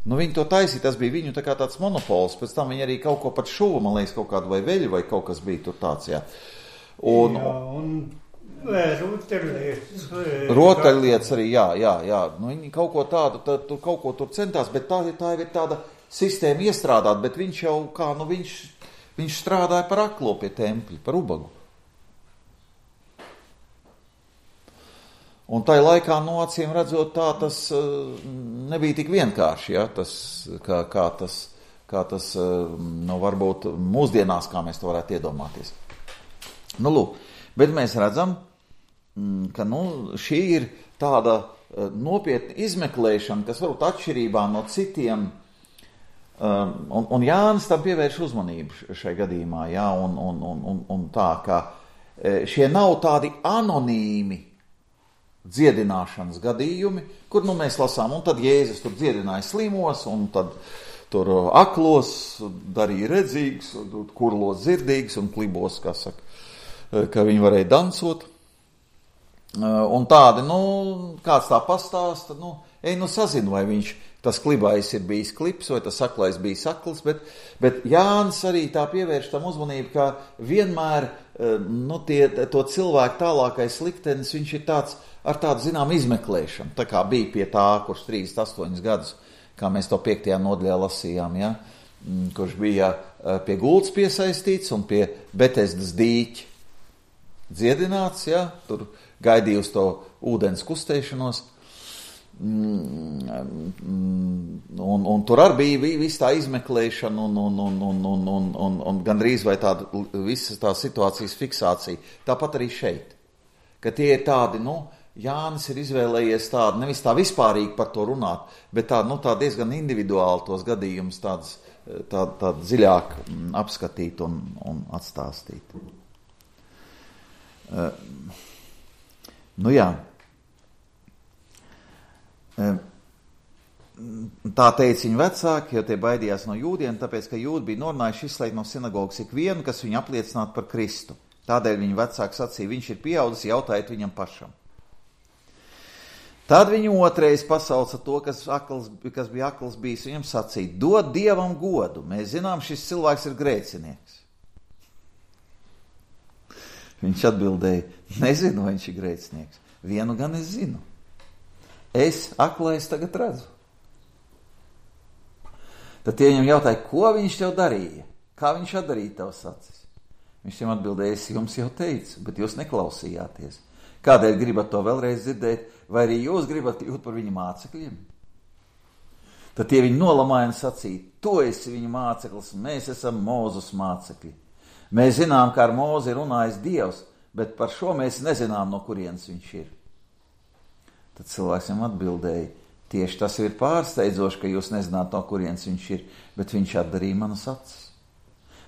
viņi to taisīja, tas bija viņu tā kā tāds monopols, pēc tam viņi arī kaut ko pat šuva, man liekas, kaut kādu vai veļu, vai kaut kas bija tur tāds, rotaļlietas arī, viņi kaut ko tādu, kaut ko tur centās, bet tā ir tāda sistēma iestrādāt, bet viņš jau kā, viņš strādāja par aklo pie tempļa, par ubagu. Un tai laikā, acīm redzot, tas nebija tik vienkārši, kā tas varbūt mūsdienās, kā mēs to varētu iedomāties. Lūk, bet mēs redzam, ka šī ir tāda nopietna izmeklēšana, kas varbūt atšķirībā no citiem, un Jānis tam pievērš uzmanību šai gadījumā, un tā, ka šie nav tādi anonīmi dziedināšanas gadījumi, kur mēs lasām, un tad Jēzus tur dziedināja slimos, un tad tur aklos darīja redzīgs, kurlos dzirdīgs, un klibos, kā saka, ka viņi varēja dansot. Un tādi, kāds tā pastāsta, sazinu, vai tas klibājs ir bijis klips, vai tas aklais bijis akls, bet Jānis arī tā pievērš tam uzmanību, ka vienmēr, to cilvēku tālākais liktenis, viņš ir tāds, ar tādu, zinām, izmeklēšanu, tā kā bija pie tā, kurš 38 gadus, kā mēs to 5. nodaļā lasījām, kurš bija pie gultas piesaistīts un pie Betesdas dīķa dziedināts, tur gaidīja uz to ūdens kustēšanos, un tur arī bija viss tā izmeklēšana un gandrīz vai tāda visas tā situācijas fiksācija. Tāpat arī šeit, ka tie ir tādi, Jānis ir izvēlējies tādu, nevis tā vispārīgi par to runāt, bet tā diezgan individuāli tos gadījumus tādu dziļāk apskatīt un atstāstīt. Jā. Tā teica viņa vecāki, jo tie baidījās no jūdiem, tāpēc, ka jūdi bija norunājuši izslēgt no sinagogas ikvienu, kas viņu apliecinātu par Kristu. Tādēļ viņa vecāki sacīja, viņš ir pieaudzis, jautājiet viņam pašam. Tad viņu otrais pasauca to, kas bija akls bijis, viņam sacīja, dod Dievam godu, mēs zinām, šis cilvēks ir grēcinieks. Viņš atbildēja, nezinu, vai viņš ir grēcinieks. Vienu gan es zinu. Es aklais tagad redzu. Tad tie viņam jautāja, ko viņš tev darīja? Kā viņš atdarīja tavas acis? Viņš viņam atbildēja, es jums jau teicu, bet jūs neklausījāties. Kādēļ gribat to vēlreiz dzirdēt, vai arī jūs gribat kļūt par viņa mācekļiem? Tad tie viņu nolamāja un sacīja, tu esi viņa māceklis, mēs esam Mūzes mācekļi. Mēs zinām, kā ar Mūzi ir runājis Dievs, bet par šo mēs nezinām, no kurienes viņš ir. Tad cilvēks viņam atbildēja, tieši tas ir pārsteidzoši, ka jūs nezināt, no kurienes viņš ir, bet viņš atdarīja manas acis.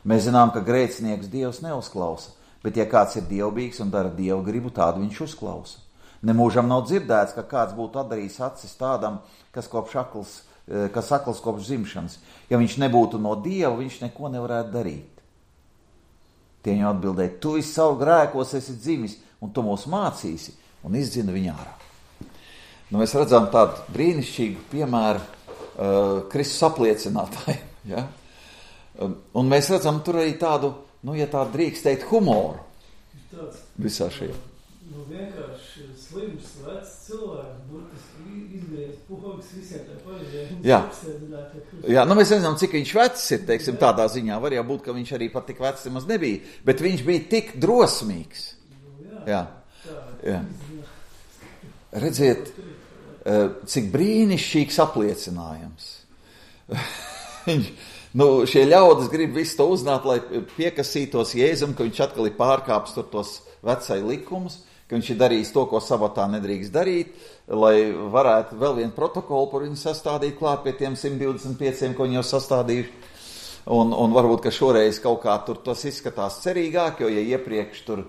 Mēs zinām, ka grēcinieks Dievs neuzklausa, bet ja kāds ir dievbīgs un dara Dievu gribu, tādu viņš uzklausa. Nemūžam nav dzirdēts, ka kāds būtu atdarījis acis tādam, kas akls kopš dzimšanas. Ja viņš nebūtu no Dieva, viņš neko nevarētu darīt. Tie viņam atbildēja, tu esi savu grēkos esi dzimis, un tu mūs mācīsi, un izdzina viņu ārā. Mēs redzam tādu brīnišķīgu piemēru Kristus apliecinātājiem. Ja? Un mēs redzam tur arī tādu, ja tā drīkst teikt, humoru visā šajā. Vienkārši slims, vecs cilvēks, burtiski izgriezt pogas visiem tā paļģiem. Jā, mēs nezinām, cik viņš vecs ir, teiksim, tādā ziņā. Var jau būt, ka viņš arī pat tik vecs nemaz nebija, bet viņš bija tik drosmīgs. Jā. Redziet, cik brīnišķīgs apliecinājums. Šie ļaudis grib visu to uzzināt, lai piekasītos Jēzum, ka viņš atkal ir pārkāpis tur tos vecai likumus, ka viņš ir darījis to, ko sabatā nedrīkst darīt, lai varētu vēl vienu protokolu par viņu sastādīt klāt pie tiem 125, ko viņi jau sastādījuši. Un varbūt, ka šoreiz kaut kā tur tas izskatās cerīgāk, jo ja iepriekš tur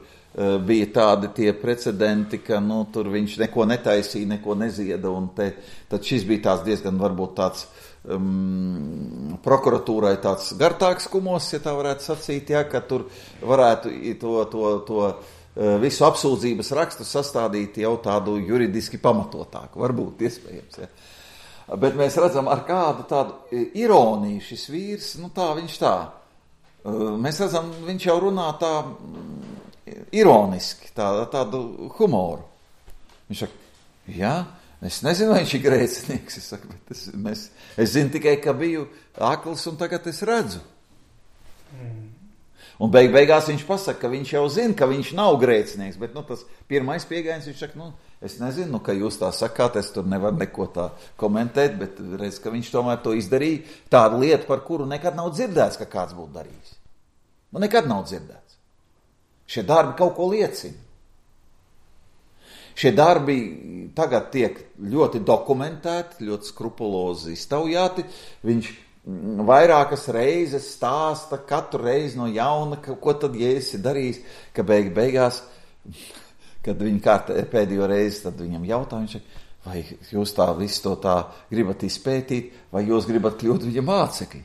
bija tādi tie precedenti, ka tur viņš neko netaisīja, neko nezieda, un tad šis bija tās diezgan varbūt tāds prokuratūrai tāds gartāks kumos, ja tā varētu sacīt, ja, ka tur varētu to visu apsūdzības rakstu sastādīt jau tādu juridiski pamatotāku, varbūt iespējams. Ja. Bet mēs redzam, ar kādu tādu ironiju šis vīrs, viņš tā. Mēs redzam, viņš jau runā tā ironiski, tādu humoru. Viņš saka, jā, es nezinu, vai viņš ir grēcinieks. Es saku, bet es zinu tikai, ka biju akls un tagad es redzu. Un beigās viņš pasaka, ka viņš jau zina, ka viņš nav grēcinieks, bet tas pirmais pieejams, viņš saka, es nezinu, ka jūs tā sakāt, es tur nevaru neko tā komentēt, bet redz, ka viņš tomēr to izdarīja, tādu lietu, par kuru nekad nav dzirdēts, ka kāds būtu darījis. Nekad nav dzirdēts. Šie darbi kaut ko liecina. Šie darbi tagad tiek ļoti dokumentēti, ļoti skrupulozi iztaujāti. Viņš vairākas reizes stāsta, katru reizi no jauna, ko tad Jēzus ir darījis, ka beigās, kad viņi pēdējo reizi, tad viņam jautā, viņš saka, vai jūs tā visu to tā gribat izpētīt, vai jūs gribat kļūt viņa mācekļi?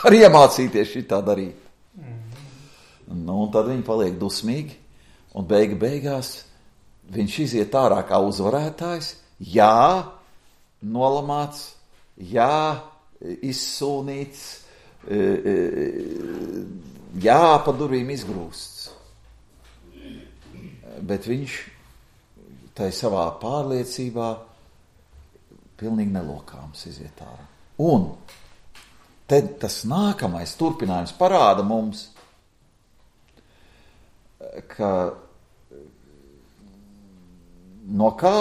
Arī iemācīties šitā darīt. Un tad viņi paliek dusmīgi, un beigās viņš iziet ārā kā uzvarētājs, nolamāts, izsūnīts, pa durvīm izgrūsts. Bet viņš tai savā pārliecībā pilnīgi nelokāms iziet ārā. Un tad tas nākamais turpinājums parāda mums, ka no kā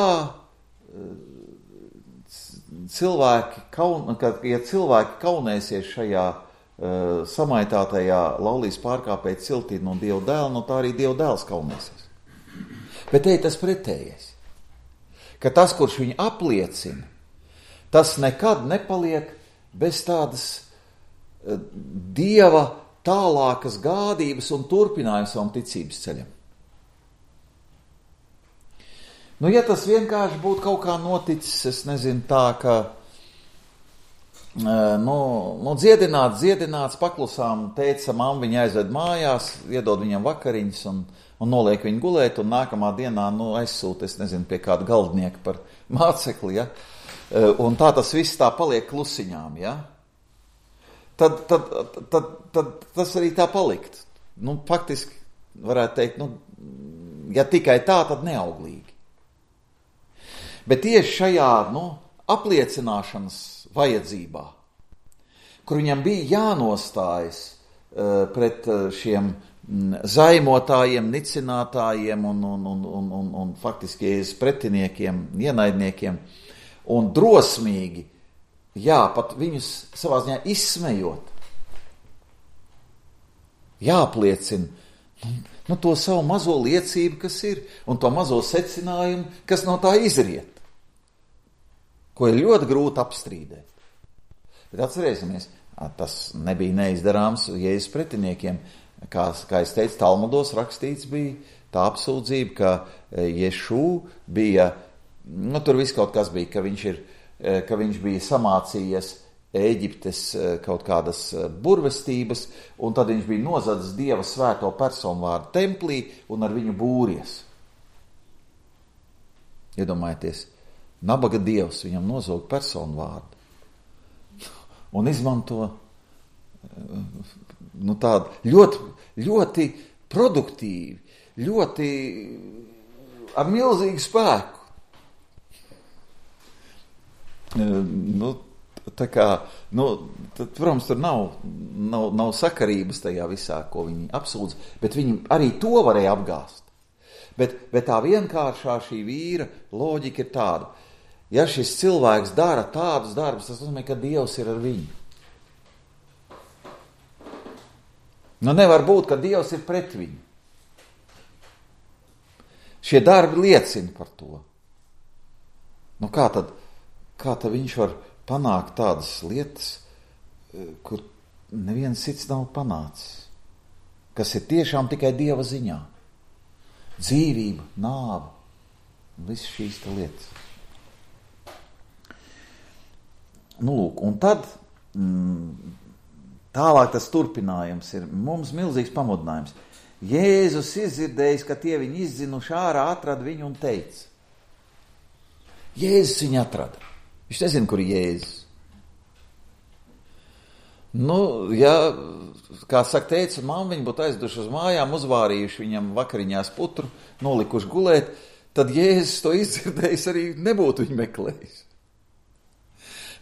ja cilvēki kaunēsies šajā samaitātajā laulības pārkāpēja ciltī no Dieva dēla, no tā arī Dieva dēls kaunēsies. Bet te ir tas pretējais, ka tas, kurš viņu apliecina, tas nekad nepaliek bez tādas Dieva tālākas gādības un turpinājuma savam ticības ceļam. Nu, ja tas vienkārši būtu kaut kā noticis, es nezinu, tā, ka dziedināts, paklusām, teica, mamma viņu aizved mājās, iedod viņam vakariņas un noliek viņu gulēt, un nākamā dienā, aizsūta, es nezinu, pie kāda galdnieka par mācekli, ja? Un tā tas viss tā paliek klusiņām, ja? Tad tas arī tā palikt. Faktiski varētu teikt, ja tikai tā, tad neauglīgi. Bet tieši šajā, apliecināšanas vajadzībā, kur viņam bija jānostājas pret šiem zaimotājiem, nicinātājiem un faktiski pretiniekiem, ienaidniekiem, un drosmīgi, pat viņus savā ziņā izsmejot, jāapliecina to savu mazo liecību, kas ir, un to mazo secinājumu, kas no tā izriet, ko ir ļoti grūti apstrīdēt. Bet atcerēsimies, tas nebija neizdarāms Jēzus pretiniekiem. Kā es teicu, Talmudos rakstīts bija tā apsūdzība, ka Ješū bija, tur viss kaut kas bija, ka viņš bija samācījies Ēģiptes kaut kādas burvestības, un tad viņš bija nozadzis Dieva svēto personu vārdu templī un ar viņu būries. Iedomājieties, nabaga Dievs viņam nozog personu vārdu un izmanto tādu ļoti produktīvi, ļoti ar milzīgu spēku. Tad, protams, tur nav sakarības tajā visā, ko viņi apsūdz, bet viņi arī to varēja apgāst. Bet tā vienkāršā šī vīra loģika ir tāda. Ja šis cilvēks dara tādus darbus, tas nozīmē, ka Dievs ir ar viņu. Nevar būt, ka Dievs ir pret viņu. Šie darbi liecina par to. Kā tad viņš var panākt tādas lietas, kur neviens cits nav panācis, kas ir tiešām tikai Dieva ziņā? Dzīvība, nāve, visas šīs lietas. Un tad tālāk tas turpinājums ir mums milzīgs pamudinājums. Jēzus izdzirdējis, ka tie viņu izdzinuši ārā, atrada viņu un teica. Jēzus viņu atrada. Viņš nezina, kur ir Jēzus. Kā saka, teica, mamma viņu būtu aizduši uz mājām, uzvārījuši viņam vakariņās putru, nolikuši gulēt, tad Jēzus to izdzirdējis arī nebūtu viņu meklējis.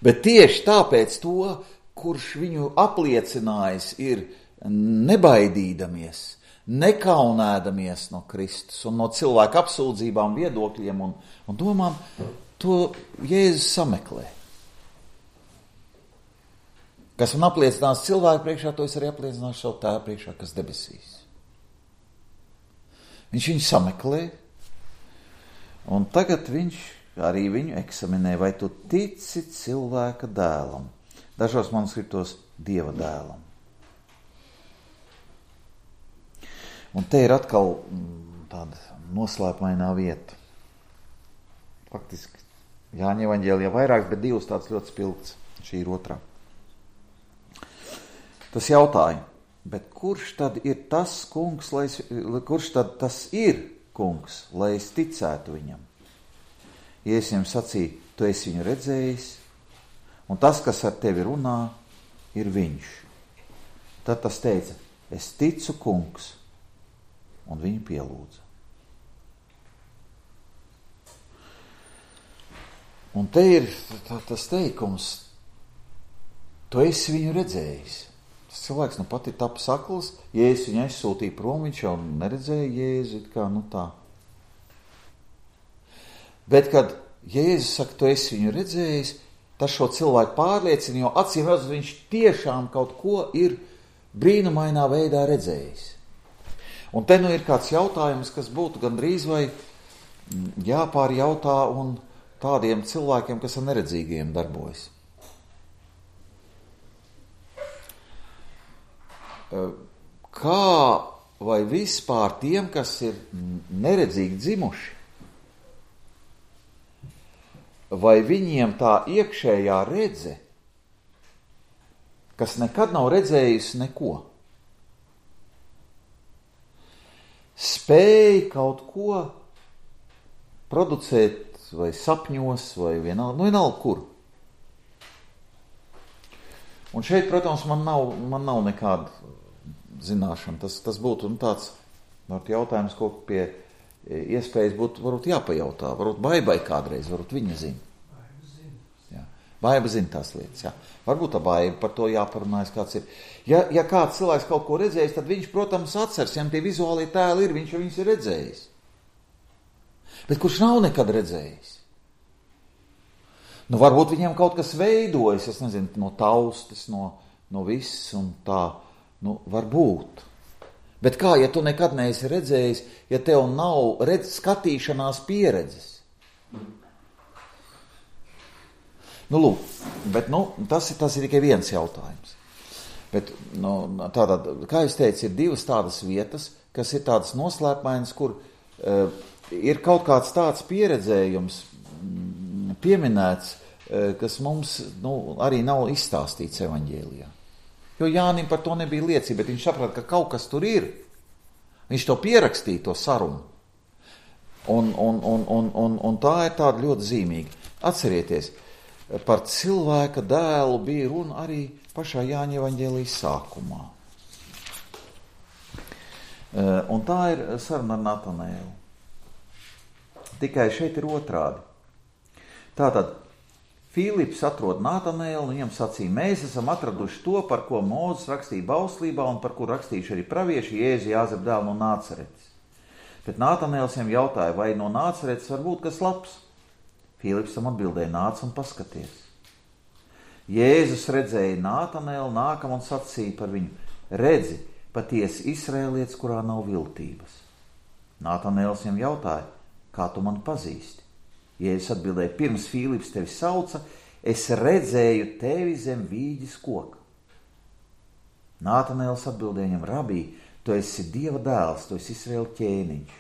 Bet tieši tāpēc to, kurš viņu apliecinājis, ir nebaidīdamies, nekaunēdamies no Kristus un no cilvēku apsūdzībām, viedokļiem un domām, to Jēzus sameklē. Kas man apliecinās cilvēku priekšā, to es arī apliecināšu savu tēvu priekšā, kas debesīs. Viņš viņu sameklē, un tagad viņš arī viņu eksaminē, vai tu tici cilvēka dēlam. Dažos manuskriptos Dieva dēlam. Un te ir atkal tāda noslēpumainā vieta. Faktiski Jāņa evaņģēlijā vairāk, bet divas tāds ļoti spilgts. Šī ir otrā. Tas jautāja, bet kurš tad ir tas kungs, lai es ticētu viņam? Jēzus viņam sacīja, tu esi viņu redzējis, un tas, kas ar tevi runā, ir viņš. Tad tas teica, es ticu, kungs, un viņu pielūdza. Un te ir tas teikums, tu esi viņu redzējis. Tas cilvēks pat ir tapis akls, Jēzus viņu aizsūtīja prom, viņš jau neredzēja Jēzu, tā. Bet, kad Jēzus saka, tu esi viņu redzējis, tas šo cilvēku pārliecina, jo acīm redzot, viņš tiešām kaut ko ir brīnumainā veidā redzējis. Un te ir kāds jautājums, kas būtu gandrīz vai jāpārjautā un tādiem cilvēkiem, kas ar neredzīgiem darbojas. Kā vai vispār tiem, kas ir neredzīgi dzimuši, vai viņiem tā iekšējā redze, kas nekad nav redzējusi neko, spēj kaut ko producēt vai sapņos, vai vienalga kur. Un šeit, protams, man nav nekāda zināšana. Tas būtu tāds jautājums, ko pie iespējas būtu varbūt jāpajautā. Varbūt Baibai kādreiz, varbūt viņa zina. Jā. Baiba zina tās lietas. Jā. Varbūt tā Baiba par to jāparunājas, kāds ir. Ja kāds cilvēks kaut ko redzējis, tad viņš, protams, atceras, ja tie vizuālie tēli ir, viņš viņus ir redzējis. Bet kurš nav nekad redzējis? Varbūt viņiem kaut kas veidojas, es nezinu, no taustes, no viss un tā, varbūt. Bet kā, ja tu nekad neesi redzējis, ja tev nav skatīšanās pieredzes? Lūk, bet tas ir tikai viens jautājums. Bet, tātad, kā es teicu, ir divas tādas vietas, kas ir tādas noslēpmainas, kur ir kaut kāds tāds pieredzējums pieminēts, kas mums arī nav izstāstīts evaņģēlijā. Jo Jānim par to nebija liecība, bet viņš saprata, ka kaut kas tur ir. Viņš to pierakstīja, to sarunu. Un tā ir tāda ļoti zīmīga. Atcerieties, par cilvēka dēlu bija runa arī pašā Jāņa evaņģēlijas sākumā. Un tā ir saruna ar Natanēlu. Tikai šeit ir otrādi. Tātad Filips atrod Natanēlu un viņam sacīja, mēs esam atraduši to, par ko Mūzes rakstīja bauslībā un par kur rakstījuši arī pravieši Jēzu Jāzepa dēlu no Nācaretes. Bet Natanēls viņam jautāja, vai no Nācaretes var būt kas labs? Filips tam atbildēja, nāc un paskaties. Jēzus redzēja Natanēlu, nākam un sacīja par viņu, redzi, patiesi Izraēlietis, kurā nav viltības. Natanēls viņam jautāja, kā tu mani pazīsti? Jēzus atbildēja, pirms Filips tevi sauca, es redzēju tevi zem vīģes koka. Natanēls atbildēja viņam, rabī, tu esi Dieva dēls, tu esi Izraēla ķēniņš.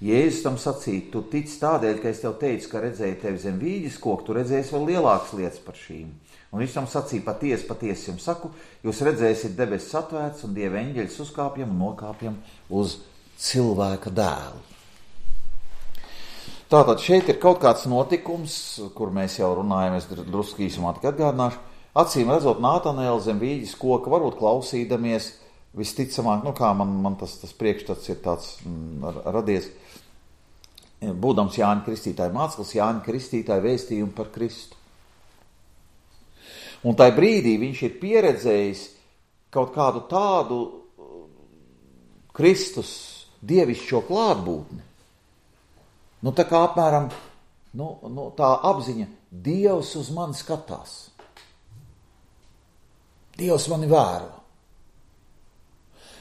Jēzus tam sacīja, tu tici tādēļ, ka es tev teicu, ka redzēju tevi zem vīģes koka, tu redzēsi vēl lielākas lietas par šīm. Un viņš tam sacīja, patiesi jums saku, jūs redzēsiet debesis atvērts un Dieva eņģeļus uzkāpjam un nokāpjam uz cilvēka dēlu. Tātad šeit ir kaut kāds notikums, kur mēs jau runājam, es drusku īsumā tikai atgādināšu. Acīm redzot Natanēlu zem vīģes koka, varbūt klausīdamies, visticamāk, kā man tas priekšstats ir tāds radies, būdams Jāņa Kristītāja māceklis, Jāņa Kristītāja vēstījumu par Kristu. Un tajā brīdī viņš ir pieredzējis kaut kādu tādu Kristus dievišķo klātbūtni. Tā kā apmēram tā apziņa, Dievs uz mani skatās. Dievs mani vēro.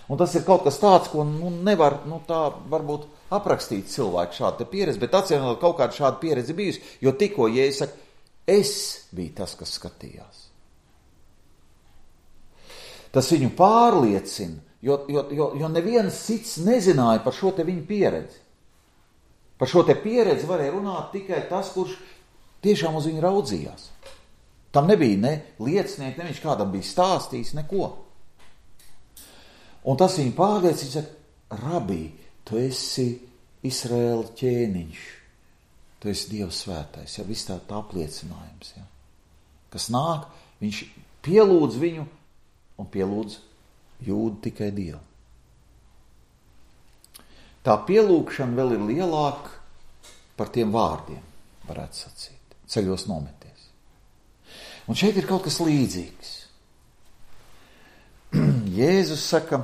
Un tas ir kaut kas tāds, ko nevar tā varbūt aprakstīt cilvēku šādu pieredzi, bet atcīmredzot kaut kāda šāda pieredze bijusi, jo tikko Jēzus saka, es biju tas, kas skatījās. Tas viņu pārliecina, jo neviens cits nezināja par šo te viņu pieredzi. Par šo te pieredzi varēja runāt tikai tas, kurš tiešām uz viņu raudzījās. Tam nebija ne liecinieki, ne viņš kādam bija stāstījis, neko. Un tas viņu pārliecina, viņš saka, rabī, tu esi Izraēla ķēniņš, tu esi Dieva svētais, viss tā apliecinājums, kas nāk, viņš pielūdz viņu un pielūdz jūdu tikai Dievu. Tā pielūgšana vēl ir lielāka par tiem vārdiem, varētu sacīt, ceļos nometies. Un šeit ir kaut kas līdzīgs. Jēzus saka,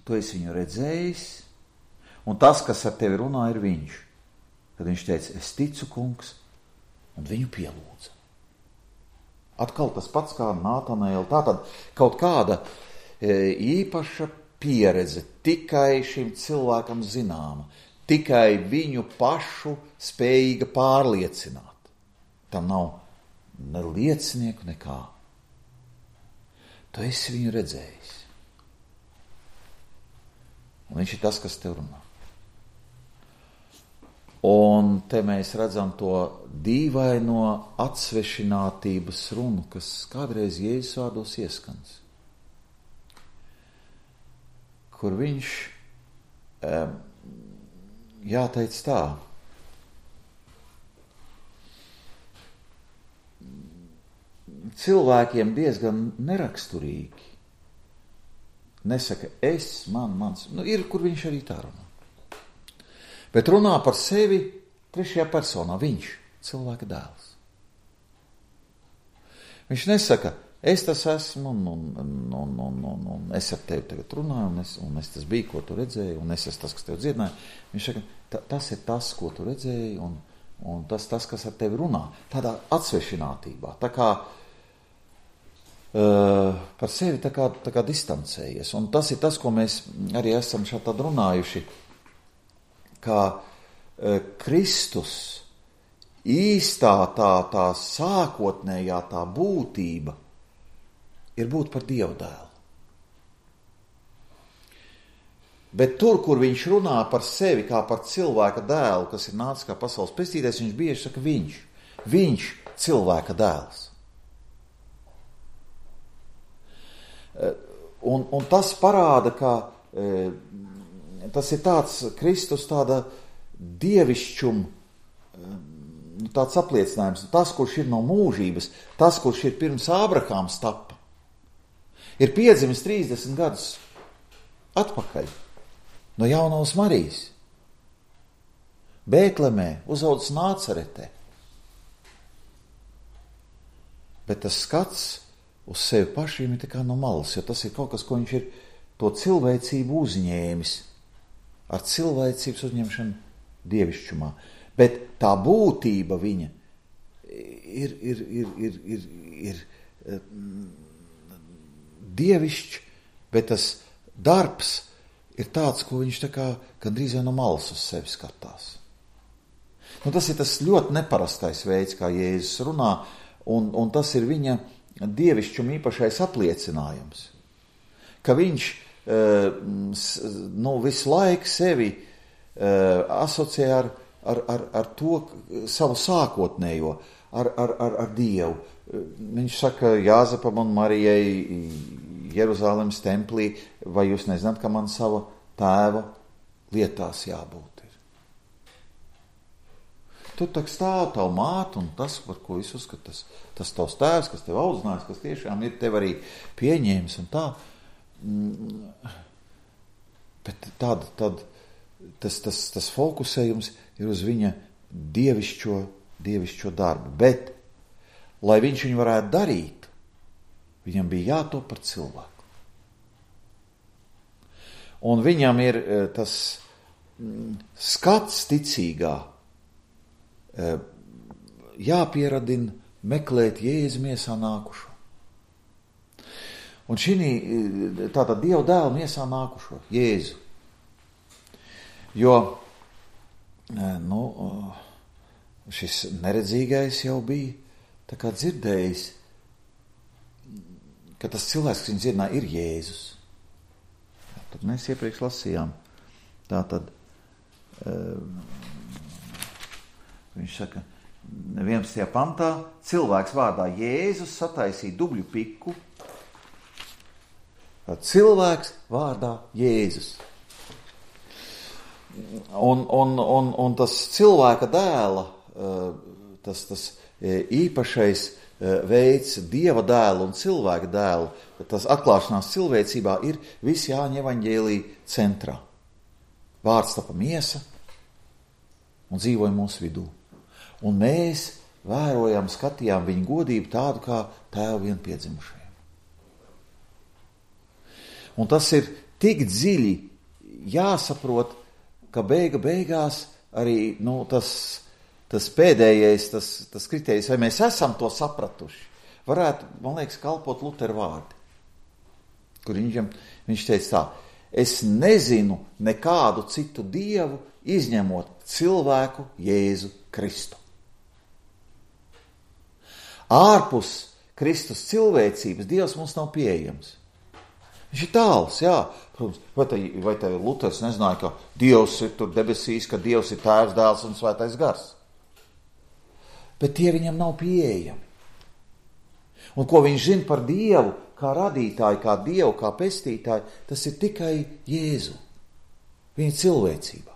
tu esi viņu redzējis, un tas, kas ar tevi runā, ir viņš. Tad viņš teica, es ticu, kungs, un viņu pielūdza. Atkal tas pats kā Natanēla, tātad kaut kāda īpaša pieredze, tikai šim cilvēkam zināma, tikai viņu pašu spējīga pārliecināt. Tam nav ne liecinieku nekā. Tu esi viņu redzējis. Un viņš ir tas, kas tev runā. Un te mēs redzam to dīvaino atsvešinātības runu, kas kādreiz Jēzus vārdos ieskans. Kur viņš jāteic tā. Cilvēkiem diezgan neraksturīgi. Nesaka es, mans. Ir, kur viņš arī tā runā. Bet runā par sevi trešajā personā. Viņš, cilvēka dēls. Viņš nesaka, es tas esmu, un es ar tevi tagad runāju, un es tas biju, ko tu redzēji, un es esmu tas, kas tev dziedināja. Viņš saka, tas ir tas, ko tu redzēji, un tas, kas ar tevi runā. Tādā atsvešinātībā. Tā kā par sevi tā kā distancējies. Un tas ir tas, ko mēs arī esam šādi runājuši, kā Kristus īstā tā sākotnējā tā būtība ir būt par Dieva dēlu. Bet tur, kur viņš runā par sevi kā par cilvēka dēlu, kas ir nācis kā pasaules pestītājs, viņš bieži saka viņš cilvēka dēls. Un tas parāda, ka tas ir tāds Kristus tāda dievišķuma, tāds apliecinājums. Tas, kurš ir no mūžības, tas, kurš ir pirms Ābrahāms tapa, ir piedzimis 30 gadus atpakaļ no jaunās Marijas. Bētlemē, uzaudzis Nācaretē. Bet tas skats uz sevi pašiem ir tā kā no malas, jo tas ir kaut kas, ko viņš ir to cilvēcību uzņēmis, ar cilvēcības uzņemšanu dievišķumā. Bet tā būtība viņa ir dievišķi, bet tas darbs ir tāds, ko viņš tā kā gandrīz no malas uz sevi skatās. Tas ir tas ļoti neparastais veids, kā Jēzus runā, un tas ir viņa dievišķuma īpašais apliecinājums, ka viņš visu laiku sevi asociē ar to savu sākotnējo, ar Dievu. Viņš saka Jāzepam un Marijai Jeruzalemes templī, vai jūs nezināt, ka man sava tēva lietās jābūt ir. Tu tak stāv tavu mātu un tas, par ko es uzskatu, tas tavs tēvs, kas tev audzinājis, kas tiešām ir tev arī pieņēmis un tā. Bet tas fokusējums ir uz viņa dievišķo darbu. Bet, lai viņš viņu varētu darīt, viņam bija jātop par cilvēku. Un viņam ir tas skats ticīgā, jāpieradina meklēt Jēzu miesā nākušo. Un šī tātad Dieva dēla miesā nākušo, Jēzu. Jo, šis neredzīgais jau bija tā kā dzirdējis, ka tas cilvēks, kas viņu dzirdināja, ir Jēzus. Tad mēs iepriekš lasījām. Tātad viņš saka, 11. pantā, cilvēks vārdā Jēzus sataisīja dubļu piku. Cilvēks vārdā Jēzus. Un tas cilvēka dēla, tas īpašais veids Dieva dēlu un cilvēka dēlu, tas atklāšanās cilvēcībā ir visi Jāņa evaņģēlija centrā. Vārds tapa miesa un dzīvoja mūsu vidū. Un mēs vērojam, skatījām viņa godību tādu kā tēvu vienpiedzimušajam. Un tas ir tik dziļi jāsaprot, ka beigās arī tas pēdējais, tas kritērijs, vai mēs esam to sapratuši, varētu, man liekas, kalpot Lutera vārdi, kur viņš teica tā, es nezinu nekādu citu dievu, izņemot cilvēku Jēzu Kristu. Ārpus Kristus cilvēcības Dievs mums nav pieejams. Viņš ir tāls, jā. Protams, vai te Luters nezināja, ka Dievs ir tur debesīs, ka Dievs ir Tēvs, Dēls un Svētais Gars. Bet tie viņam nav pieejami. Un ko viņš zina par Dievu, kā radītāju, kā Dievu, kā pestītāju, tas ir tikai Jēzu, viņa cilvēcībā.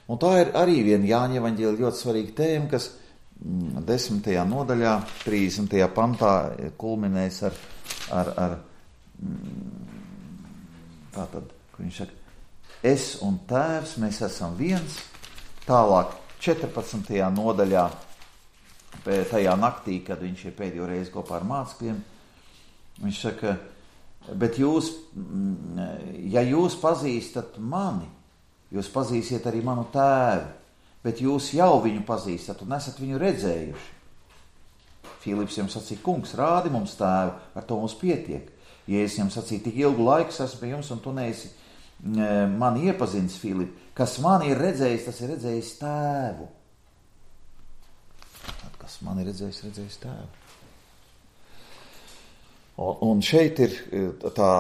Un tā ir arī viena Jāņa evaņģēlija ļoti svarīga tēma, kas 10. nodaļā, 30. pantā kulminēs ar tātad, kur viņš saka, es un Tēvs, mēs esam viens, tālāk 14. nodaļā, tajā naktī, kad viņš ir pēdējo reizi kopā ar mācekļiem, viņš saka, bet jūs, ja jūs pazīstat mani, jūs pazīsiet arī manu Tēvu, bet jūs jau viņu pazīstat un esat viņu redzējuši. Filips jums sacīja, kungs, rādi mums Tēvu, ar to mums pietiek. Jēzus jums sacīja, tik ilgu laiku esmu pie jums un tu neesi mani iepazinis, Filip. Kas mani ir redzējis, tas ir redzējis Tēvu. Kas mani ir redzējis Tēvu. Un šeit ir tā,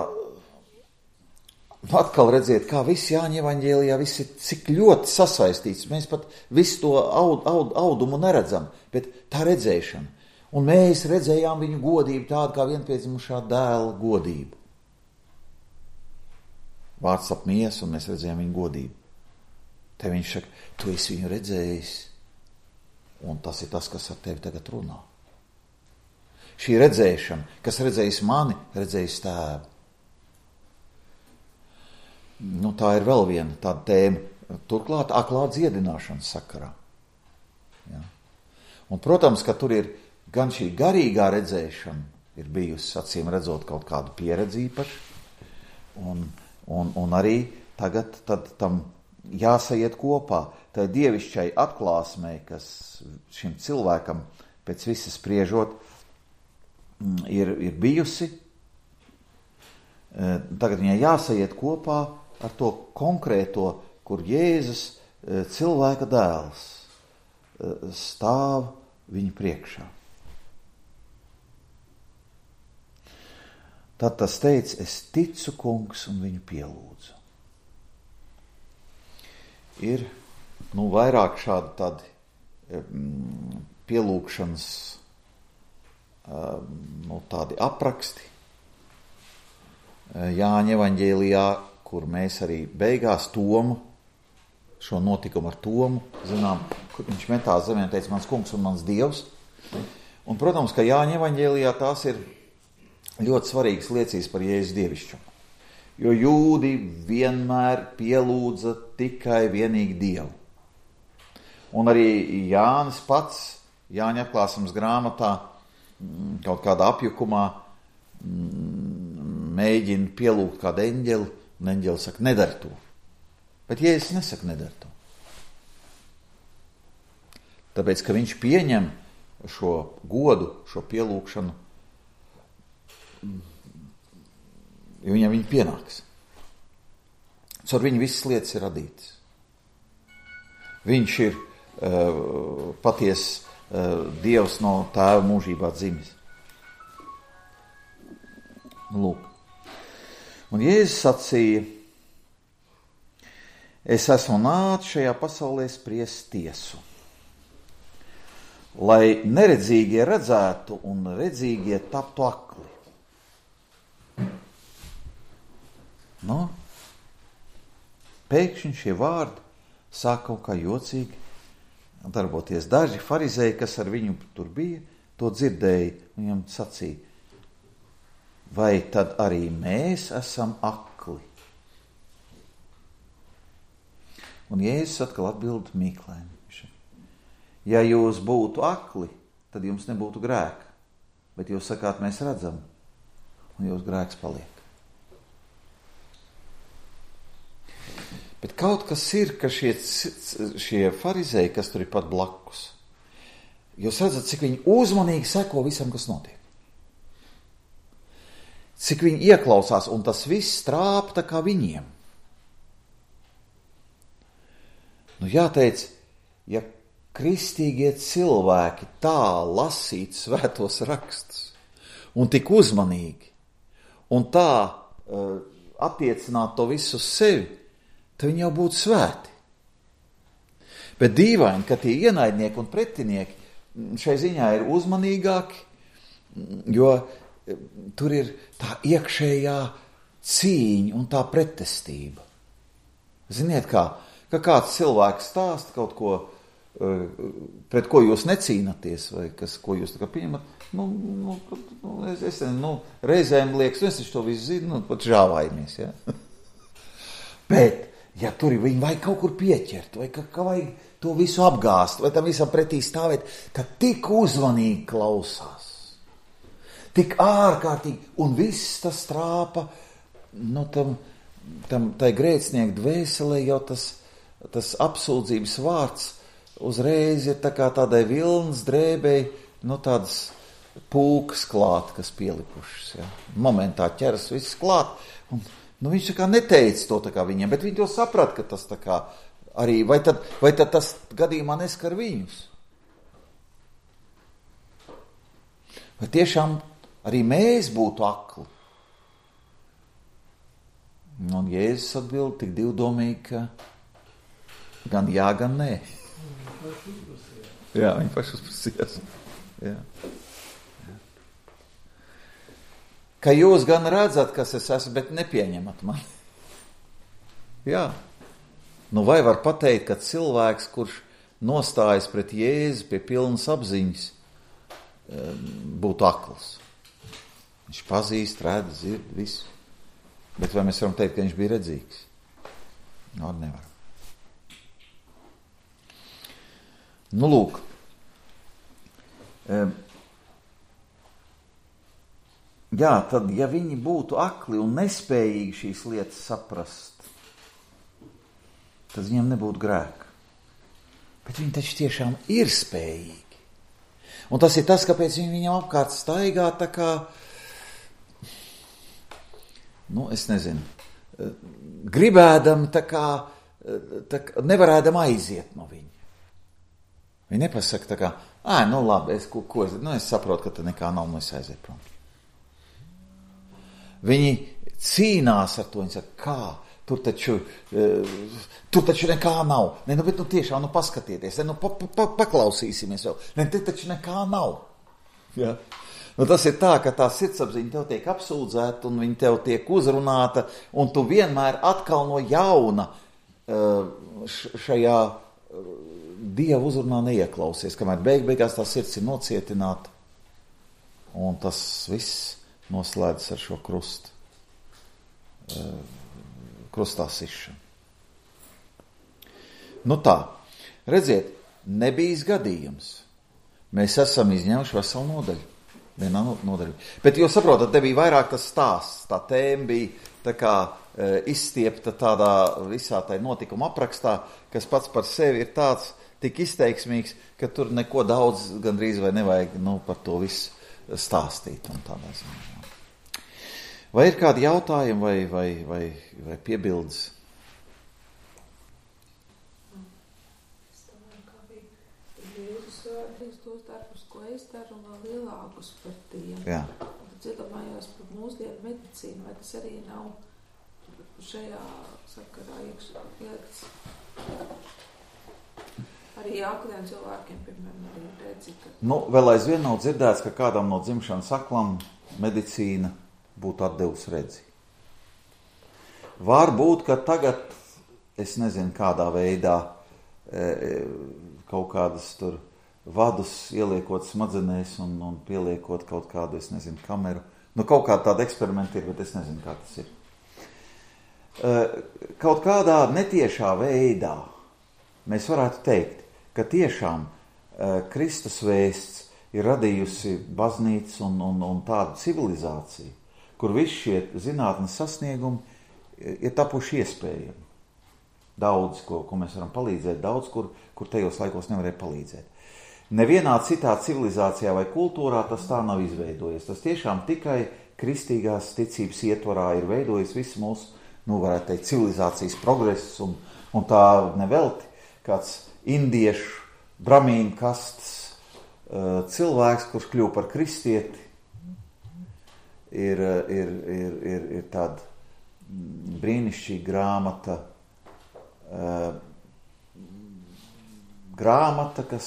atkal redziet, kā viss Jāņa evaņģēlijā, viss ir cik ļoti sasaistīts. Mēs pat visu to audumu neredzam, bet tā redzēšana. Un mēs redzējām viņu godību tādu kā vienpiedzimušā dēla godību. Vārds apmies, un mēs redzējām viņu godību. Te viņš saka, tu esi viņu redzējis, un tas ir tas, kas ar tevi tagad runā. Šī redzēšana, kas redzējis mani, redzējis Tēvu. Nu, tā ir vēl viena tāda tēma, turklāt aklā dziedināšanas sakarā. Ja. Un, protams, ka tur ir gan šī garīgā redzēšana ir bijusi, acīm redzot, kaut kādu pieredzi īpaši, un arī tagad tad tam jāsaiet kopā tai dievišķai atklāsmei, kas šim cilvēkam pēc visas spriežot ir bijusi. Tagad viņai jāsaiet kopā ar to konkrēto, kur Jēzus cilvēka dēls stāv viņa priekšā. Tad tas teica, es ticu, kungs, un viņu pielūdzu. Ir, vairāk šādi tādi pielūgšanas, tādi apraksti Jāņa evaņģēlijā, kur mēs arī beigās Tomu, šo notikumu ar Tomu, zinām, kur viņš metās zemē un teica, mans kungs un mans Dievs. Un, protams, ka Jāņa evaņģēlijā tās ir ļoti svarīgas liecības par Jēzus dievišķumu. Jo jūdi vienmēr pielūdza tikai vienīgi Dievu. Un arī Jānis pats, Jāņa atklāsmes grāmatā, kaut kādā apjukumā mēģina pielūgt kādu eņģeli, un eņģeli saka, nedara to. Bet Jēzus nesaka, nedara to. Tāpēc, ka viņš pieņem šo godu, šo pielūgšanu, jo viņam viņa pienāks. Caur viņu visas lietas ir radītas. Viņš ir patiesi Dievs no Tēva mūžībā dzimis. Lūk. Un Jēzus sacīja, es esmu nācis šajā pasaulē spriest tiesu, lai neredzīgie redzētu un redzīgie taptu akli. Pēkšņi šie vārdi sāk kaut kā jocīgi darboties. Daži farizēji, kas ar viņu tur bija, to dzirdēja, un viņam sacīja, vai tad arī mēs esam akli? Un Jēzus atkal atbild mīklēm. Ja jūs būtu akli, tad jums nebūtu grēka, bet jūs sakāt, mēs redzam, un jūs grēks paliek. Bet kaut kas ir, ka šie farizēji, kas tur ir pat blakus, jūs redzat, cik viņi uzmanīgi seko visam, kas notiek. cik viņi ieklausās, un tas viss trāp tā kā viņiem. Nu jāteic, ja kristīgie cilvēki tā lasītu svētos rakstus, un tik uzmanīgi, un tā attiecināt to visu uz sevi, tad viņi jau būtu svēti. Bet dīvaini, ka tie ienaidnieki un pretinieki šai ziņā ir uzmanīgāki, jo tur ir tā iekšējā cīņa un tā pretestība. Ziniet, ka kāds cilvēks stāsta kaut ko, pret ko jūs necīnaties, vai ko jūs tā kā pieņemat, es reizēm liekas, es to visu zinu, pat žāvājamies, ja? Bet, ja tur viņi vajag kaut kur pieķert, vai ka vajag to visu apgāst, vai tam visam pretī stāvēt, ka tik uzmanīgi klausās, tik ārkārtīgi, un viss tas trāpa, tai grēcinieku dvēselē jau tas apsūdzības vārds uzreiz ir tā kā tādai vilnas drēbei, tādas pūkas klāt, kas pielikušas, ja. Momentā ķeras viss klāt, un viņš tā kā neteica to tā kā viņiem, bet viņi to saprat, ka tas tā kā arī, vai tad tas gadījumā neskar viņus? Vai tiešām arī mēs būtu akli? Un Jēzus atbild tik divdomīgi, ka gan jā, gan nē. Jā, viņi paši uzprasījās. Jā. Ka jūs gan redzat, kas es esmu, bet nepieņemat mani. Jā. Vai var pateikt, ka cilvēks, kurš nostājas pret Jēzu pie pilnas apziņas, būtu akls? Viņš pazīst, redz, dzird, visu. Bet vai mēs varam teikt, ka viņš bija redzīgs? Nevar. Lūk. Jā, tad, ja viņi būtu akli un nespējīgi šīs lietas saprast, tad viņiem nebūtu grēka. Bet viņi taču tiešām ir spējīgi. Un tas ir tas, kāpēc viņi viņam apkārt staigā tā kā, es nezinu, gribēdam tā kā nevarēdam aiziet no viņa. Viņi nepasaka tā kā, labi, es saprotu, ka te nekā nav, es aiziet prom. Viņi cīnās ar to, viņi saka, kā, tur taču nekā nav. Bet tiešām, paskatieties, paklausīsimies vēl. Te taču nekā nav. Ja? Tas ir tā, ka tā sirdsapziņa tev tiek apsūdzēta un viņa tev tiek uzrunāta, un tu vienmēr atkal no jauna šajā Dieva uzrunā neieklausies, kamēr beigās tā sirds ir nocietināta, un tas viss noslēdzas ar šo krustā sišanu. Tā, redziet, nebijis gadījums. Mēs esam izņēmuši veselu nodaļu. Vienā nodaļu. Bet jūs saprotat, te bija vairāk tas stāsts, tā tēma bija tā kā izstiepta tādā visā tai notikuma aprakstā, kas pats par sevi ir tāds tik izteiksmīgs, ka tur neko daudz gandrīz vai nevajag par to visu stāstīt un tādā ziņā. Vai ir kādi jautājumi vai piebildes? Es domāju, kā bija Jēzus vārds tos darbus, ko es daru, un vēl lielākus par tiem. Jā. Tad iedomājos par mūsdienu medicīnu, vai tas arī nav šajā sakarā iekļauts. Arī akliem cilvēkiem, piemēram, arī redzi, ka... Vēl aizvien nav dzirdēts, ka kādam no dzimšanas aklam medicīna būtu atdevusi redzi. Varbūt, ka tagad, es nezinu, kādā veidā kaut kādas tur vadus ieliekot smadzenēs un pieliekot kaut kādu, es nezinu, kameru. Kaut kāda tāda eksperimenta ir, bet es nezinu, kā tas ir. Kaut kādā netiešā veidā mēs varētu teikt, ka tiešām Kristus vēsts ir radījusi baznīcu un tādu civilizāciju, kur visi šie zinātnes sasniegumi ir tapuši iespējami. Daudz, ko mēs varam palīdzēt, daudz, kur tajos laikos nevarēja palīdzēt. Nevienā citā civilizācijā vai kultūrā tas tā nav izveidojies. Tas tiešām tikai kristīgās ticības ietvarā ir veidojis visu mūsu, varētu teikt, civilizācijas progresu, un tā nevelti kāds indiešu bramīnu kastes cilvēks, kurš kļuva par kristieti, ir tāda brīnišķīga grāmata, kas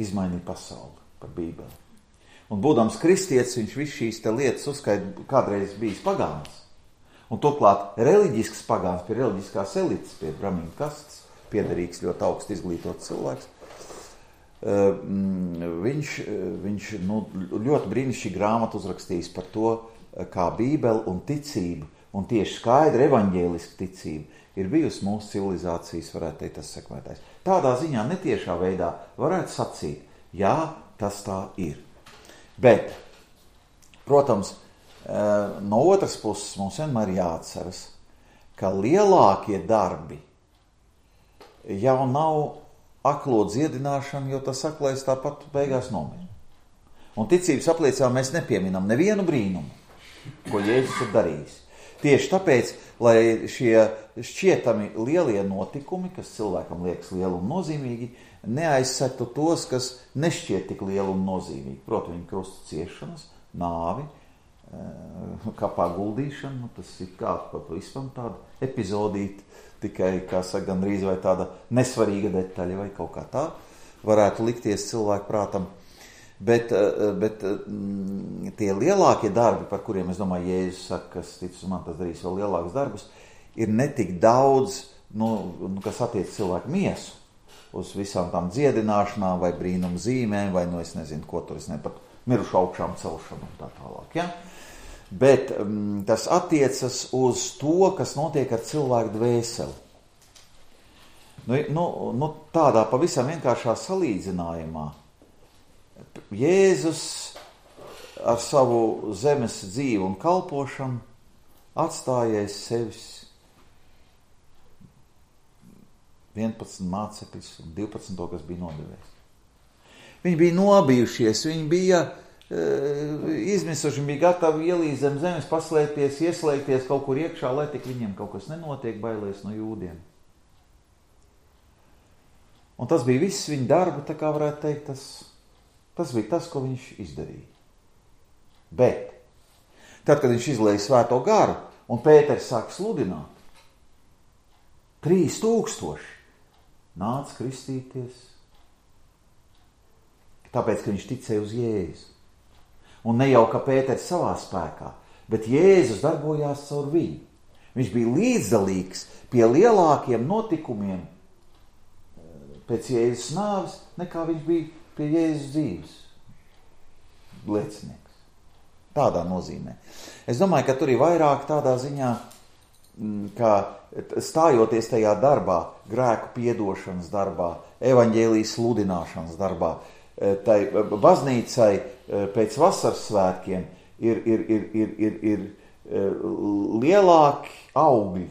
izmainīja pasauli par Bībeli. Un būdams kristietis, viņš visu šīs te lietas uzskaita, kādreiz bijis pagāns. Un turklāt reliģisks pagāns pie reliģiskās elites, pie bramīnu kastes, piederīgs ļoti augstu izglītots cilvēks. Viņš ļoti brīnišķīgi grāmatu uzrakstījis par to, kā Bībele un ticība, un tieši skaidra evaņģēliska ticība ir bijusi mūsu civilizācijas, varētu teikt, tas sekmētājs. Tādā ziņā netiešā veidā varētu sacīt, jā, tas tā ir. Bet, protams, no otras puses mums vienmēr jāatceras, ka lielākie darbi jau nav aklo dziedināšana, jo tas aklais tāpat beigās nomira. Un ticības apliecinājumā mēs nepieminam nevienu brīnumu, ko Jēzus ir darījis. Tieši tāpēc, lai šie šķietami lielie notikumi, kas cilvēkam liekas lieli un nozīmīgi, neaizsektu tos, kas nešķiet tik lieli un nozīmīgi. Proti, viņa krusta ciešanas, nāvi, kapā guldīšana, tas ir kā vispār tāda epizodīta, tikai, kā saka, gandrīz vai tāda nesvarīga detaļa vai kaut kā tā varētu likties cilvēku prātam. Bet tie lielākie darbi, par kuriem, es domāju, Jēzus saka, kas tic uz man, tas darīs vēl lielākus darbus, ir netik daudz, kas attiec cilvēku miesu, uz visām tām dziedināšanām vai brīnumu zīmēm, vai, es nezinu, ko tur, es pat mirušu augšām celšanu un tā tālāk, ja? Bet tas attiecas uz to, kas notiek ar cilvēku dvēseli. Tādā pavisam vienkāršā salīdzinājumā Jēzus ar savu zemes dzīvi un kalpošanu atstājies sevis 11 mācekļus un 12, kas bija nodevējis. Viņi bija nobijušies, viņi bija izmisuši, bija gatavi ielīst zem zemes, paslēpties, ieslēgties kaut kur iekšā, lai tik viņiem kaut kas nenotiek, bailēs no jūdiem. Un tas bija viss viņa darba, tā kā varētu teikt, tas bija tas, ko viņš izdarīja. Bet, tad, kad viņš izlēja svēto garu, un Pēters sāk sludināt, 3000 nāca kristīties, tāpēc, ka viņš ticēja uz Jēzu. Un ne jau, ka Pēters savā spēkā, bet Jēzus darbojās caur viņu. Viņš bija līdzdalīgs pie lielākiem notikumiem pēc Jēzus nāves, nekā viņš bija pie Jēzus dzīves liecinieks. Tādā nozīmē. Es domāju, ka tur ir vairāk tādā ziņā, ka stājoties tajā darbā, grēku piedošanas darbā, evaņģēlijas sludināšanas darbā, tai baznīcai pēc vasaras svētkiem ir lielāki augļi,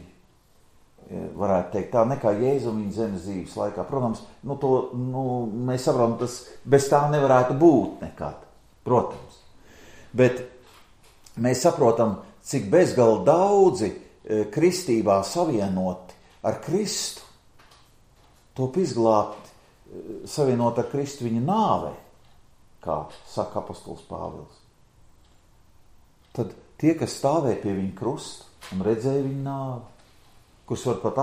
varētu teikt tā, nekā Jēzum viņa zemes dzīves laikā. Protams, mēs saprotam, tas bez tā nevarētu būt nekad, protams. Bet mēs saprotam, cik bezgalīgi daudzi kristībā savienoti ar Kristu, top izglābt, savienot ar Kristu viņa nāvē, kā saka apostols Pāvils. Tad tie, kas stāvēja pie viņa krusta un redzēja viņa nāvi, kurš var pat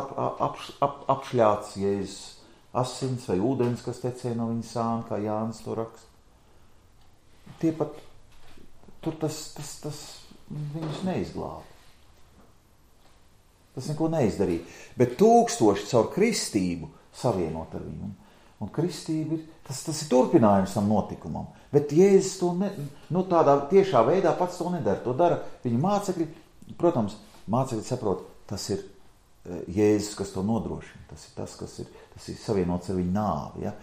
apšļāts Jēzus asins vai ūdens, kas tecēja no viņa sāna, kā Jānis to raksta. Tie pat, tur tas viņus neizglāba. Tas neko neizdarīja. Bet 1000 caur kristību savienot ar viņu. Un kristība tas ir turpinājums tam notikumam. Bet Jēzus to tādā tiešā veidā pats to nedara. To dara viņa mācekļi. Protams, mācekļi saprot, tas ir Jēzus, kas to nodrošina. Tas ir tas ir savienots ar viņu nāvi. Ja?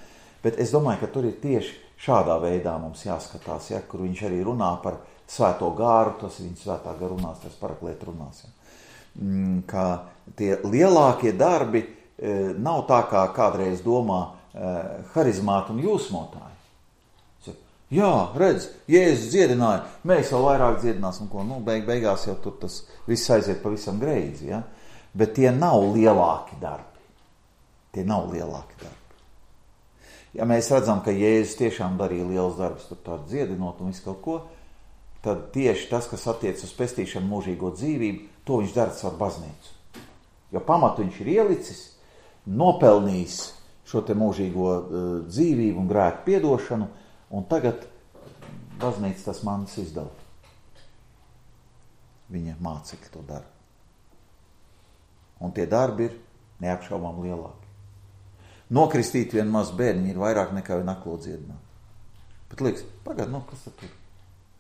Bet es domāju, ka tur ir tieši šādā veidā mums jāskatās, ja? Kur viņš arī runā par svēto gāru, tas ir viņa svētā gara runās, tas paraklēt runās. Ja? Ka tie lielākie darbi nav tā, kā kādreiz domā harizmāti un jūsmotāji. Jā, redz, Jēzus dziedināja, mēs vēl vairāk dziedināsim, ko, beigās jau tur tas viss aiziet pavisam greizi, ja? Bet tie nav lielāki darbi. Tie nav lielāki darbi. Ja mēs redzam, ka Jēzus tiešām darīja liels darbs, tur tādu dziedinot un visu kaut ko, tad tieši tas, kas attiec uz pestīšanu mūžīgo dzīvību, to viņš dara caur baznīcu. Jo pamatu viņš ir ielicis, nopelnījis šo te mūžīgo dzīvību un grēku piedošanu, un tagad baznīca tas mantas izdala. Viņa mācekļi to dara. Un tie darbi ir neapšaubām lielāki. Nokristīt vienu mazu bērniņu ir vairāk nekā vienu aklo dziedināt. Bet liekas, pagad, kas tad tur?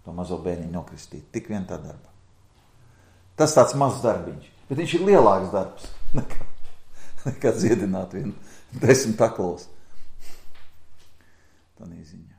To mazo bērniņu nokristīt. Tik vien tā darba. Tas tāds mazs darbiņš. Bet viņš ir lielāks darbs nekā dziedināt vienu 10 aklos. Tā neziņa.